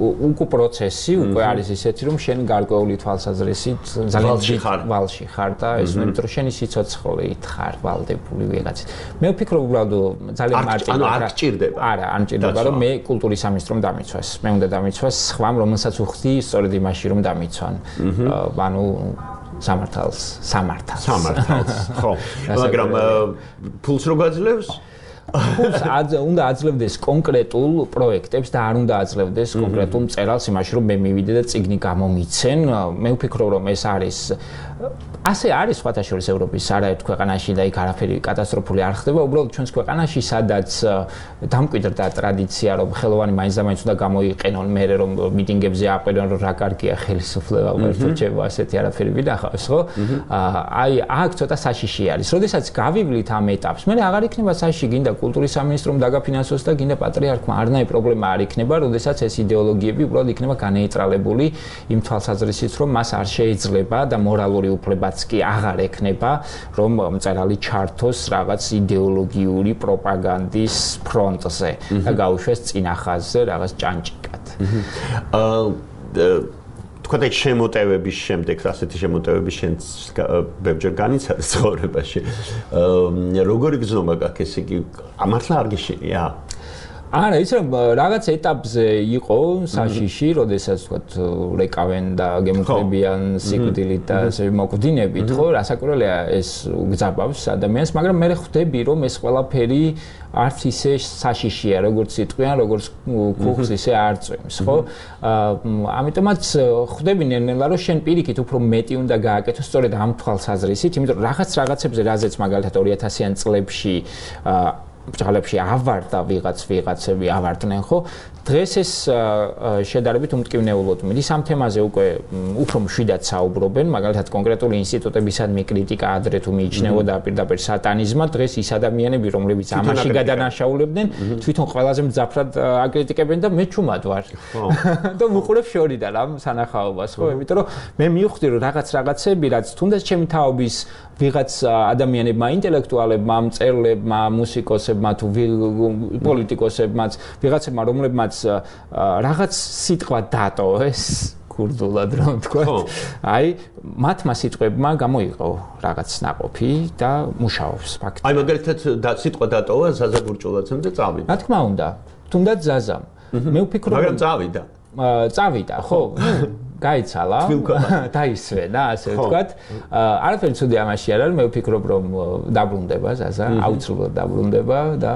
უკვე პროცესი, უკვე არის ისეთი, რომ შენ გარკვეული თვალსაზრისით ძალიან ვალში ხარ და ეს იმიტომ რომ შენი სიცოცხლით ხარ ვალდებული ვიღაცით. მე ვფიქრობ, უბრალოდ ძალიან მარტივად. ანუ არ გჭირდება. არა, არ მჭირდება, რომ მე კულტურის სამინისტრომ დამიცვას. მე უნდა დამიცვას სხვამ, რომელსაც უხდი სწორედ იმაში რომ დამიცვან. ანუ სამართალს, სამართალს. სამართალს, ხო. მაგრამ ფულს რო გაძლევს? ფულს უნდა აძლევდეს კონკრეტულ პროექტებს და არ უნდა აძლევდეს კონკრეტულ მწერალს იმაში რომ მე მივიდე და წიგნი გამომიცენ. მე ვფიქრობ, რომ ეს არის ასე არის სხვათა შორის ევროპის არაერთ ქვეყანაში და იქ არაფერი კატასტროფული არ ხდება. უბრალოდ ჩვენს ქვეყანაში, სადაც დამკვიდრდა ტრადიცია, რომ ხელოვანი მაინც და მაინც უნდა გამოიყენონ, მერე რომ მიტინგებზე აყვერონ, რომ რა კარგია ხელისუფლება, უერთო რჩება, ასეთი არაფერი ვინახავს, ხო? აი, აქ ცოტა საშიში არის. როდესაც გავივლით ამ ეტაპს, მე აღარ იქნება საშიში, გინდა კულტურის სამინისტრომ დაგაფინანსოს და გინდა პატრიარქმა, არნაირი პრობლემა არ იქნება, როდესაც ეს იდეოლოგიები უბრალოდ იქნება განეიტრალებული იმ თვალსაზრისით, რომ მას არ შეიძლება და მორალური უფლება კი აღარ ექნება, რომ მწერალი ჩართოს რაღაც იდეოლოგიური პროპაგანდის ფრონტზე და გაუშვეს წინა ხაზზე რაღაც ჭანჭიკად. აა თქვენ ეს შემოტევების შემდეგ, ასეთი შემოტევების შენც ბევრჯერ განიცადა ცხოვრებაში. აა როგორი გზნობა გაქვს ეს იგი? მართლა არ გიშინია? არა, ის რომ რაღაც ეტაპზე იყო საშიში, როდესაც თქვათ რეკავენ და გემუქრებიან სიკვდილით და ასე მოკვდინებით, ხო, რასაკვირველია ეს გძაბავს ადამიანს, მაგრამ მე ხვდები, რომ ეს ყველაფერი არც ისე საშიშია, როგორც იტყვიან, როგორც კუხს ისე არ წვიმს, ხო? ამიტომაც ხვდები ნელ-ნელა, რომ შენ პირიქით უფრო მეტი უნდა გააკეთო სწორედ ამ თვალსაზრისით, იმიტომ რომ რაღაც რაღაცებზე, რაზეც მაგალითად ორი ათასიან წლებში ბჭყალებში ავარდა ვიღაც ვიღაცები ავარდნენ, ხო? დღეს ეს შედარებით უმტკივნეულოდ მიდის ამ თემაზე უკვე უფრო მშვიდად საუბრობენ, მაგალითად კონკრეტული ინსტიტუტებისადმი კრიტიკა ადრე თუ მიიჩნეოდა პირდაპირ სატანიზმად, დღეს ის ადამიანები, რომლებიც ამაში გადანაშაულებდნენ, თვითონ ყველაზე მძაფრად აკრიტიკებენ და მე ჩუმად ვარ. და ვუყურებ შორიდან ამ სანახაობას, ხო? იმიტომ რომ მე მივხვდი რომ რაღაც რაღაცები, რაც თუნდაც ჩემი თაობის ვიღაც ადამიანებმა, ინტელექტუალებმა, მწერლებმა, მუსიკოსებმა თუ პოლიტიკოსებმაც, ვიღაცებმა, რომლებმაც რაღაც სიტყვა დატოვეს კურდულად რომ თქვა. აი, მათმა სიტყვებმა გამოიყო რაღაც ნაყოფი და მუშაობს ფაქტი. აი, მაგალითად სიტყვა დატოვა ზაზა გურჭულაძემ და წავიდა. რა თქმა უნდა, თუნდაც ზაზამ. მე ვფიქრობ, მაგრამ წავიდა. წავიდა, ხო? გაიცალა, დაისვენა, ასე ვთქვათ. არაფერი ცუდი ამაში არ არის, მე ვფიქრობ, რომ დაბრუნდება ზაზა, აუცილებლად დაბრუნდება და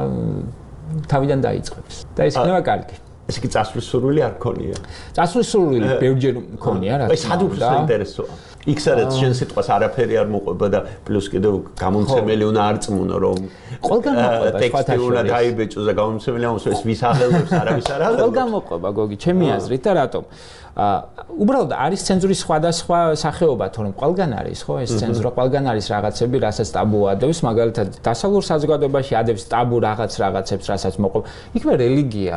თავიდან დაიწყებს. და ეს იქნება კარგი. ეს კი წასვლის სურვილი არ ქონია. წასვლის სურვილი ბევრჯერ ქონია, რა თქმა უნდა. ეს სად უფრო საინტერესოა. იქ სადაც შენ სიტყვას არაფერი არ მოყვება და პლუს კიდევ გამომცემელი უნდა არწმუნო, რომ ყველგან მოყვება ტექსტი უნდა დაიბეჭოს და გამომცემელი ამას ეს ვის აღელვებს, არავის არ აღელვებს. ყველგან მოყვება, გოგი, ჩემი აზრით და რატომ? აა უბრალოდ არის ცენზურის სხვადასხვა სახეობა, თორემ ყველგან არის, ხო? ეს ცენზურა ყველგან არის რაღაცები, რასაც ტაბუ ადევს, მაგალითად დასავლურ საზოგადოებაში ადევს ტაბუ რაღაც რაღაცებს, რასაც მოყვება. იქნებ რელიგია.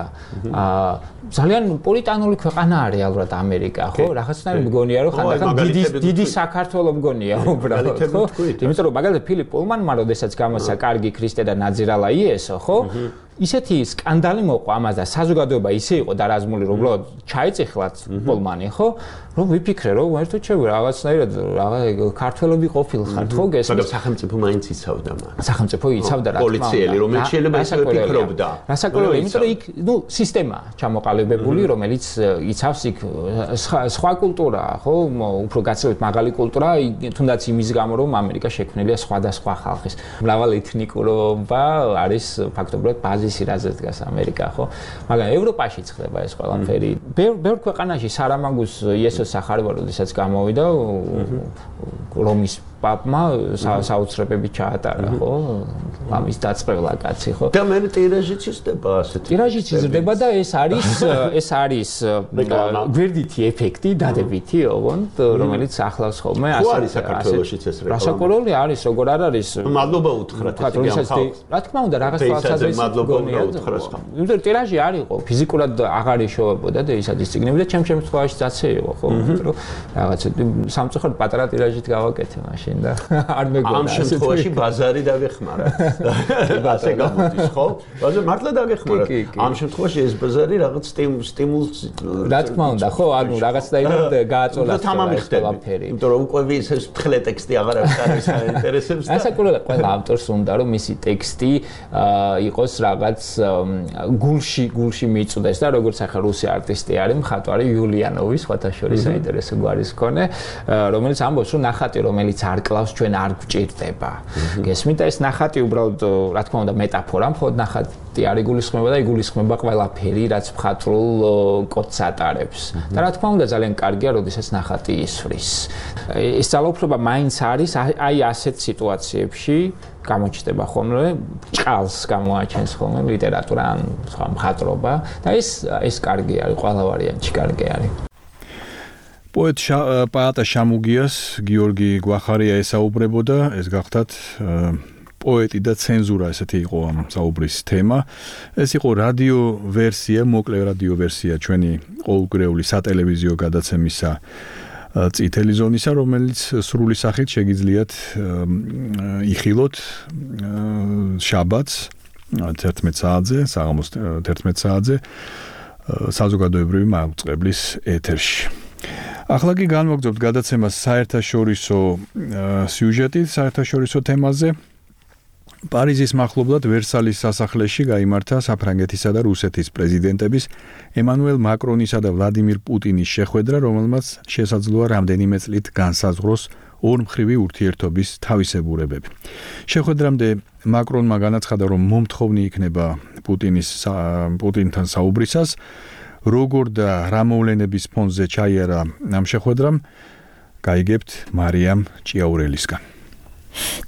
აა ძალიან პოლიტანული ქვეყანაა რეალურად ამერიკა, ხო? რაღაცნაირად მგონია, რომ ხანდახან დიდი დიდი საქართველო მგონია უბრალოდ, ხო? იმიტომ რომ მაგალითად ფილიპ პულმანმა როდესაც გამოსცა კარგი ქრისტე და ნაძირალა იესო, ხო? ისეთი სკანდალი მოყვა ამას და საზოგადოება ისე იყო დარაზმული, რომ უბრალოდ ჩაიწიხლათ პოლმანი, ხო? რომ ვიფიქრე, რომ ერთო ჩემ რაღაცნაირად რაღაც ქართველები ყოფილხართ, ხო? გესმის? მაგრამ სახელმწიფო მაინც იცავდა მას. სახელმწიფო იცავდა რა თქმა უნდა. პოლიციელი, რომელიც შეიძლება ისე ფიქრობდა. რასაკვირველია, იმიტომ რომ იქ, ნუ, სისტემა ჩამოყალიბებული, რომელიც იცავს იქ სხვა კულტურაა, ხო? უფრო გაცილებით მაღალი კულტურა, თუნდაც იმის გამო, რომ ამერიკა შექმნილია სხვადასხვა ხალხის. მრავალ ეთნიკურობა არის ფაქტობრივად ბაზი ისი რაზე დგას ამერიკა, ხო? მაგრამ ევროპაში ხდება ეს ყველაფერი. ბევრ ქვეყანაში სარამაგუს იესოს სახარება, როდესაც გამოვიდა რომის პაპმა საოცრებები ჩაატარა, ხო? ამის დაწყევლა კაცი, ხო? და მე ტირაჟიც იზრდება ასეთი. ტირაჟიც იზრდება და ეს არის ეს არის გვერდითი ეფექტი, დადებითი, ოღონდ, რომელიც ახლავს ხოლმე ასე. ხო არის საქართველოშიც ეს რეკლამა? რასაკვირველი არის, როგორ არ არის? მადლობა უთხრათ ესე რა თქმა უნდა, რაღაც თვალსაზრისით მადლობა უთხრას ხომ. იმიტომ ტირაჟი არ იყო, ფიზიკურად აღარ იშოვებოდა და ისადის ციგნები და ჩემ შემთხვევაში ძაცე იყო, ხო? რომ რაღაცა სამწუხაროდ პატარა ტირაჟით გავაკეთე მაშინ და არ მეგონა. ამ შემთხვევაში ბაზარი დაგეხმარა. ასე გამოდის, ხო? ბაზარი მართლა დაგეხმარა. ამ შემთხვევაში ეს ბაზარი რაღაც სტიმულს რა თქმა უნდა, ხო? ანუ რაღაცნაირად გააწოლა და თამამი ხდება. იმიტომ რომ უკვე ეს თხლე ტექსტი აღარ არის არის აინტერესებს და ასაკურა ყველა ავტორს უნდა რომ მისი ტექსტი იყოს რაღაც გულში გულში მიწვდეს და როგორც ახლა რუსი არტისტი არის მხატვარი იულიანოვი სხვათა შორის საინტერესო გვარის მქონე რომელიც ამბობს რომ ნახატი რომელიც არ კლავს ჩვენ არ გვჭირდება გესმით და ეს ნახატი უბრალოდ რა თქმა უნდა მეტაფორა მხოლოდ ნახატი არ იგულისხმება და იგულისხმება ყველაფერი რაც მხატვრულ კოდს ატარებს და რა თქმა უნდა ძალიან კარგია როდესაც ნახატი ისვრის ეს ძალაუფლება მაინც არის აი ასეთ სიტუაციებში გამოჩნდება ხოლმე ჭყალს გამოაჩენს ხოლმე ლიტერატურა ან სხვა მხატვრობა და ეს ეს კარგი არის ყველა ვარიანტში კარგი არის პოეტ პაატა შამუგიას გიორგი გვახარია ესაუბრებოდა ეს გახდათ პოეტი და ცენზურა ესეთი იყო ამ საუბრის თემა ეს იყო რადიო ვერსია მოკლე რადიო ვერსია ჩვენი ყოველკვირეული სატელევიზიო გადაცემისა წითელი ზონისა, რომელიც სრული სახით შეგიძლიათ იხილოთ შაბათს თერთმეტ საათზე, საღამოს თერთმეტ საათზე საზოგადოებრივი მაუწყებლის ეთერში. ახლა კი განვაგრძობთ გადაცემას საერთაშორისო სიუჟეტით, საერთაშორისო თემაზე. პარიზის მახლობლად ვერსალის სასახლეში გაიმართა საფრანგეთისა და რუსეთის პრეზიდენტების ემანუელ მაკრონისა და ვლადიმირ პუტინის შეხვედრა, რომელმაც შესაძლოა რამდენიმე წლით განსაზღვროს ორმხრივი ურთიერთობის თავისებურებები. შეხვედრამდე მაკრონმა განაცხადა, რომ მომთხოვნი იქნება პუტინის პუტინთან საუბრისას, როგორ და რა მოვლენების ფონზე ჩაიარა ამ შეხვედრამ, გაიგებთ მარიამ ჭიაურელისგან.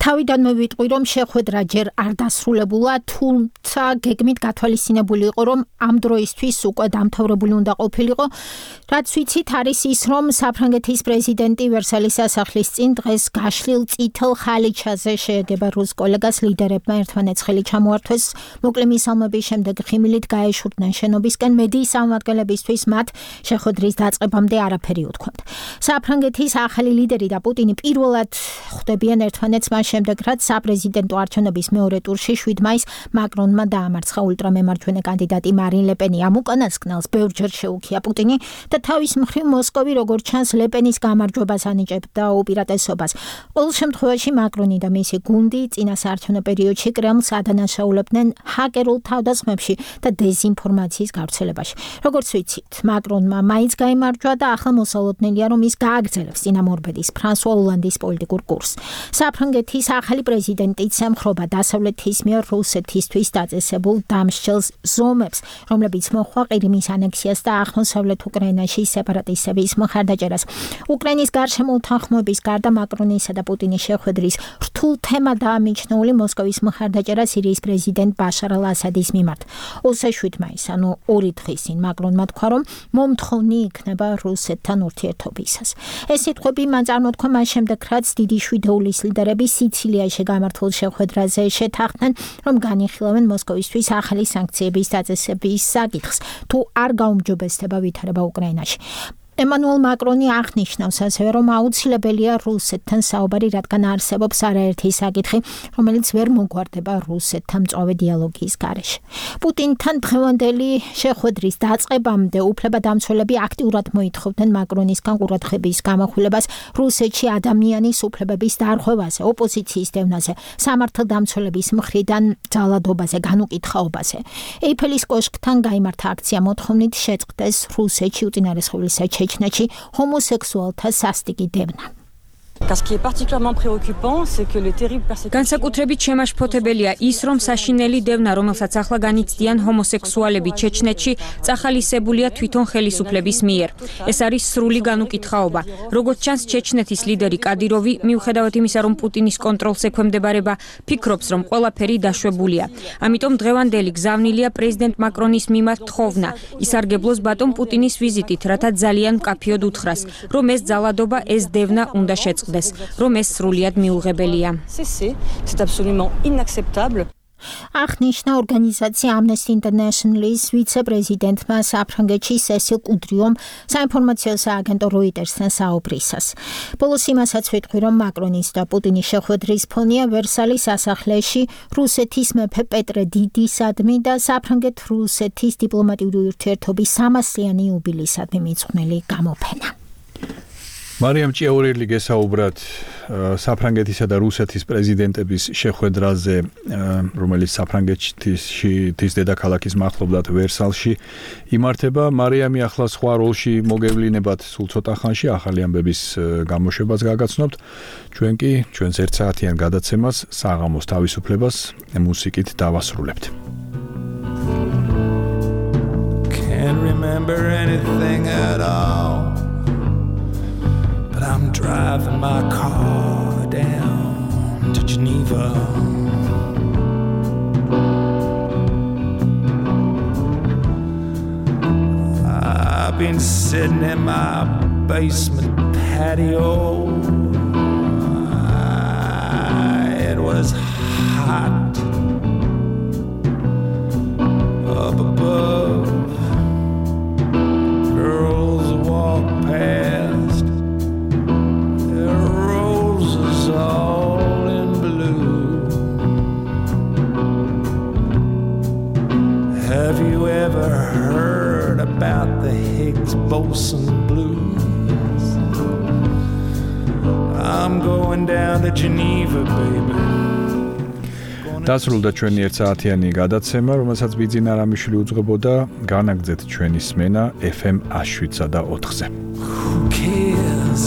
თავიდანვე ვიტყვი რომ შეხვედრა ჯერ არ დასრულებულა, თუმცა გეგმით გათვალისწინებული იყო რომ ამ დროისთვის უკვე დამთავრებული უნდა ყოფილიყო, რაც ვიცით არის ის რომ საფრანგეთის პრეზიდენტი ვერსალის სასახლის წინ დღეს გაშლილ წითელ ხალიჩაზე შეეგება რუს კოლეგას ლიდერებმა ერთმანეთს ხელი ჩამოართვეს, მოკლე მისალმების შემდეგ ხიმილით გაეშურდნენ შენობისკენ, მედიის წარმომადგენლებისთვის მათ შეხვედრის დაწყებამდე არაფერი უთქვამთ. საფრანგეთის ახალი ლიდერი და პუტინი პირველად ხვდებიან ერთმანეთს მას შემდეგ, რაც საპრეზიდენტო არჩევნების მეორე ტურში შვიდ მაისს მაკრონმა დაამარცხა ულტრამემარჯვენე კანდიდატი მარინ ლეპენი. ამ უკანასკნელს ბევრჯერ შეუქია პუტინი და თავის მხრივ მოსკოვი როგორც ჩანს ლეპენის გამარჯვებას ანიჭებდა უპირატესობას. ყოველ შემთხვევაში მაკრონი და მისი გუნდი წინა საარჩევნო პერიოდში კრემლს ადანაშაულებდნენ ჰაკერულ თავდასხმებში და დეზინფორმაციის გავრცელებაში. როგორც ვიცით, მაკრონმა მაინც გაიმარჯვა და ახლა მოსალოდნელია რომ ის გააგრძელებს წინამორბედის ფრანსუა ოლანდის პოლიტიკურ კურსს. საფრანგეთის ახალი პრეზიდენტიც ემხრობა დასავლეთის მიერ რუსეთისთვის დაწესებულ დამსჯელს ზომებს, რომლებიც მოჰყვა ყირიმის ანექსიას და აღმოსავლეთ უკრაინაში სეპარატისტების მხარდაჭერას. უკრაინის გარშემო უთანხმოების გარდა მაკრონისა და პუტინის შეხვედრის რთულ თემადაა მიჩნეული მოსკოვის მხარდაჭერა სირიის პრეზიდენტ ბაშარ ალ-ასადის მიმართ. ოცდაშვიდ მაისს, ანუ ორი დღის წინ მაკრონმა თქვა, რომ მომთხოვნი იქნება რუსეთთან ურთიერთობისას. ეს სიტყვები მან წარმოთქვა მას შემდეგ, რაც დიდი შვიდეულის ლიდერები სიცილიაში გამართულ შეხვედრაზე შეთანხმდნენ, რომ განიხილავენ მოსკოვისთვის ახალი სანქციების დაწესების საკითხს, თუ არ გაუმჯობესდება ვითარება უკრაინაში. ემანუელ მაკრონი აღნიშნავს ასევე, რომ აუცილებელია რუსეთთან საუბარი, რადგან არსებობს არაერთი საკითხი, რომელიც ვერ მოგვარდება რუსეთთან მწვავე დიალოგის გარეშე. პუტინთან დღევანდელი შეხვედრის დაწყებამდე უფლებადამცველები აქტიურად მოითხოვდნენ მაკრონისგან ყურადღების გამახვილებას რუსეთში ადამიანის უფლებების დარღვევაზე, ოპოზიციის დევნაზე, სამართალდამცველების მხრიდან ძალადობაზე, განუკითხაობაზე. ეიფელის კოშკთან გაიმართა აქცია მოთხოვნით შეწყდეს რუსეთში უწინარესყოვლისა ჩეჩნეთში ჰომოსექსუალთა სასტიკი დევნა. Ce qui est particulièrement préoccupant, c'est que le terrible persécution განსაკუთრებით შემაშფოთებელია ის, რომ საშინელი დევნა, რომელსაც ახლა განიცდიან ჰომოსექსუალები ჩეჩნეთში, წახალისებულია თვითონ ხელისუფლების მიერ. ეს არის სრული განუკითხაობა. როგორც ჩანს, ჩეჩნეთის ლიდერი კადიროვი, მიუხედავად იმისა, რომ პუტინის კონტროლს ექვემდებარება, ფიქრობს, რომ ყველაფერი დაშვებულია. ამიტომ დღევანდელი გზავნილია პრეზიდენტ მაკრონის მიმართ თხოვნა, ისარგებლოს ბატონ პუტინის ვიზიტით, რათა ძალიან მკაფიოდ უთხრას, რომ ეს ძალადობა, ეს დევნა უნდა შეწყდეს, რომ ეს სრულიად მიუღებელია. C'est absolument inacceptable. აღნიშნა ორგანიზაცია Amnesty International-ის ვიცე-პრეზიდენტმა საფრანგეთში სესილ კუდრიომ საინფორმაციო სააგენტო Reuters-თან საუბრისას. ბოლოს იმასაც ვიტყვი, რომ მაკრონის და პუტინის შეხვედრის ფონია ვერსალის სასახლეში რუსეთის მეფე პეტრე დიდისადმი და საფრანგეთ-რუსეთის დიპლომატიური ურთიერთობის სამასიანი იუბილეისადმი მიძღვნილი გამოფენა. მარიამ ჭიაურელი გესაუბრათ საფრანგეთისა და რუსეთის პრეზიდენტების შეხვედრაზე, რომელიც საფრანგეთში თის დედაქალაქის მახლობლად ვერსალში იმართება. მარიამი ახლა სხვა როლში მოგევლინებათ სულ ცოტა ხანში, ახალი ამბების გამოშვებას გაგაცნობთ. ჩვენ კი ჩვენს ერთ საათიან გადაცემას საღამოს თავისუფლებას მუსიკით დავასრულებთ. Can't remember anything at all. But I'm driving my car down to Geneva. I've been sitting in my basement patio. It was hot up above. Girls walk past. All in blue. Have you ever heard about the Higgs-Boson blues? I'm going down to Geneva, baby. დასრულდა ჩვენი ერთ საათიანი გადაცემა, რომელსაც ბიძინა რამიშვილი უძღვებოდა. განაგრძეთ ჩვენი სმენა ეფ ემ ათს შვიდსა და ოთხზე. Who cares?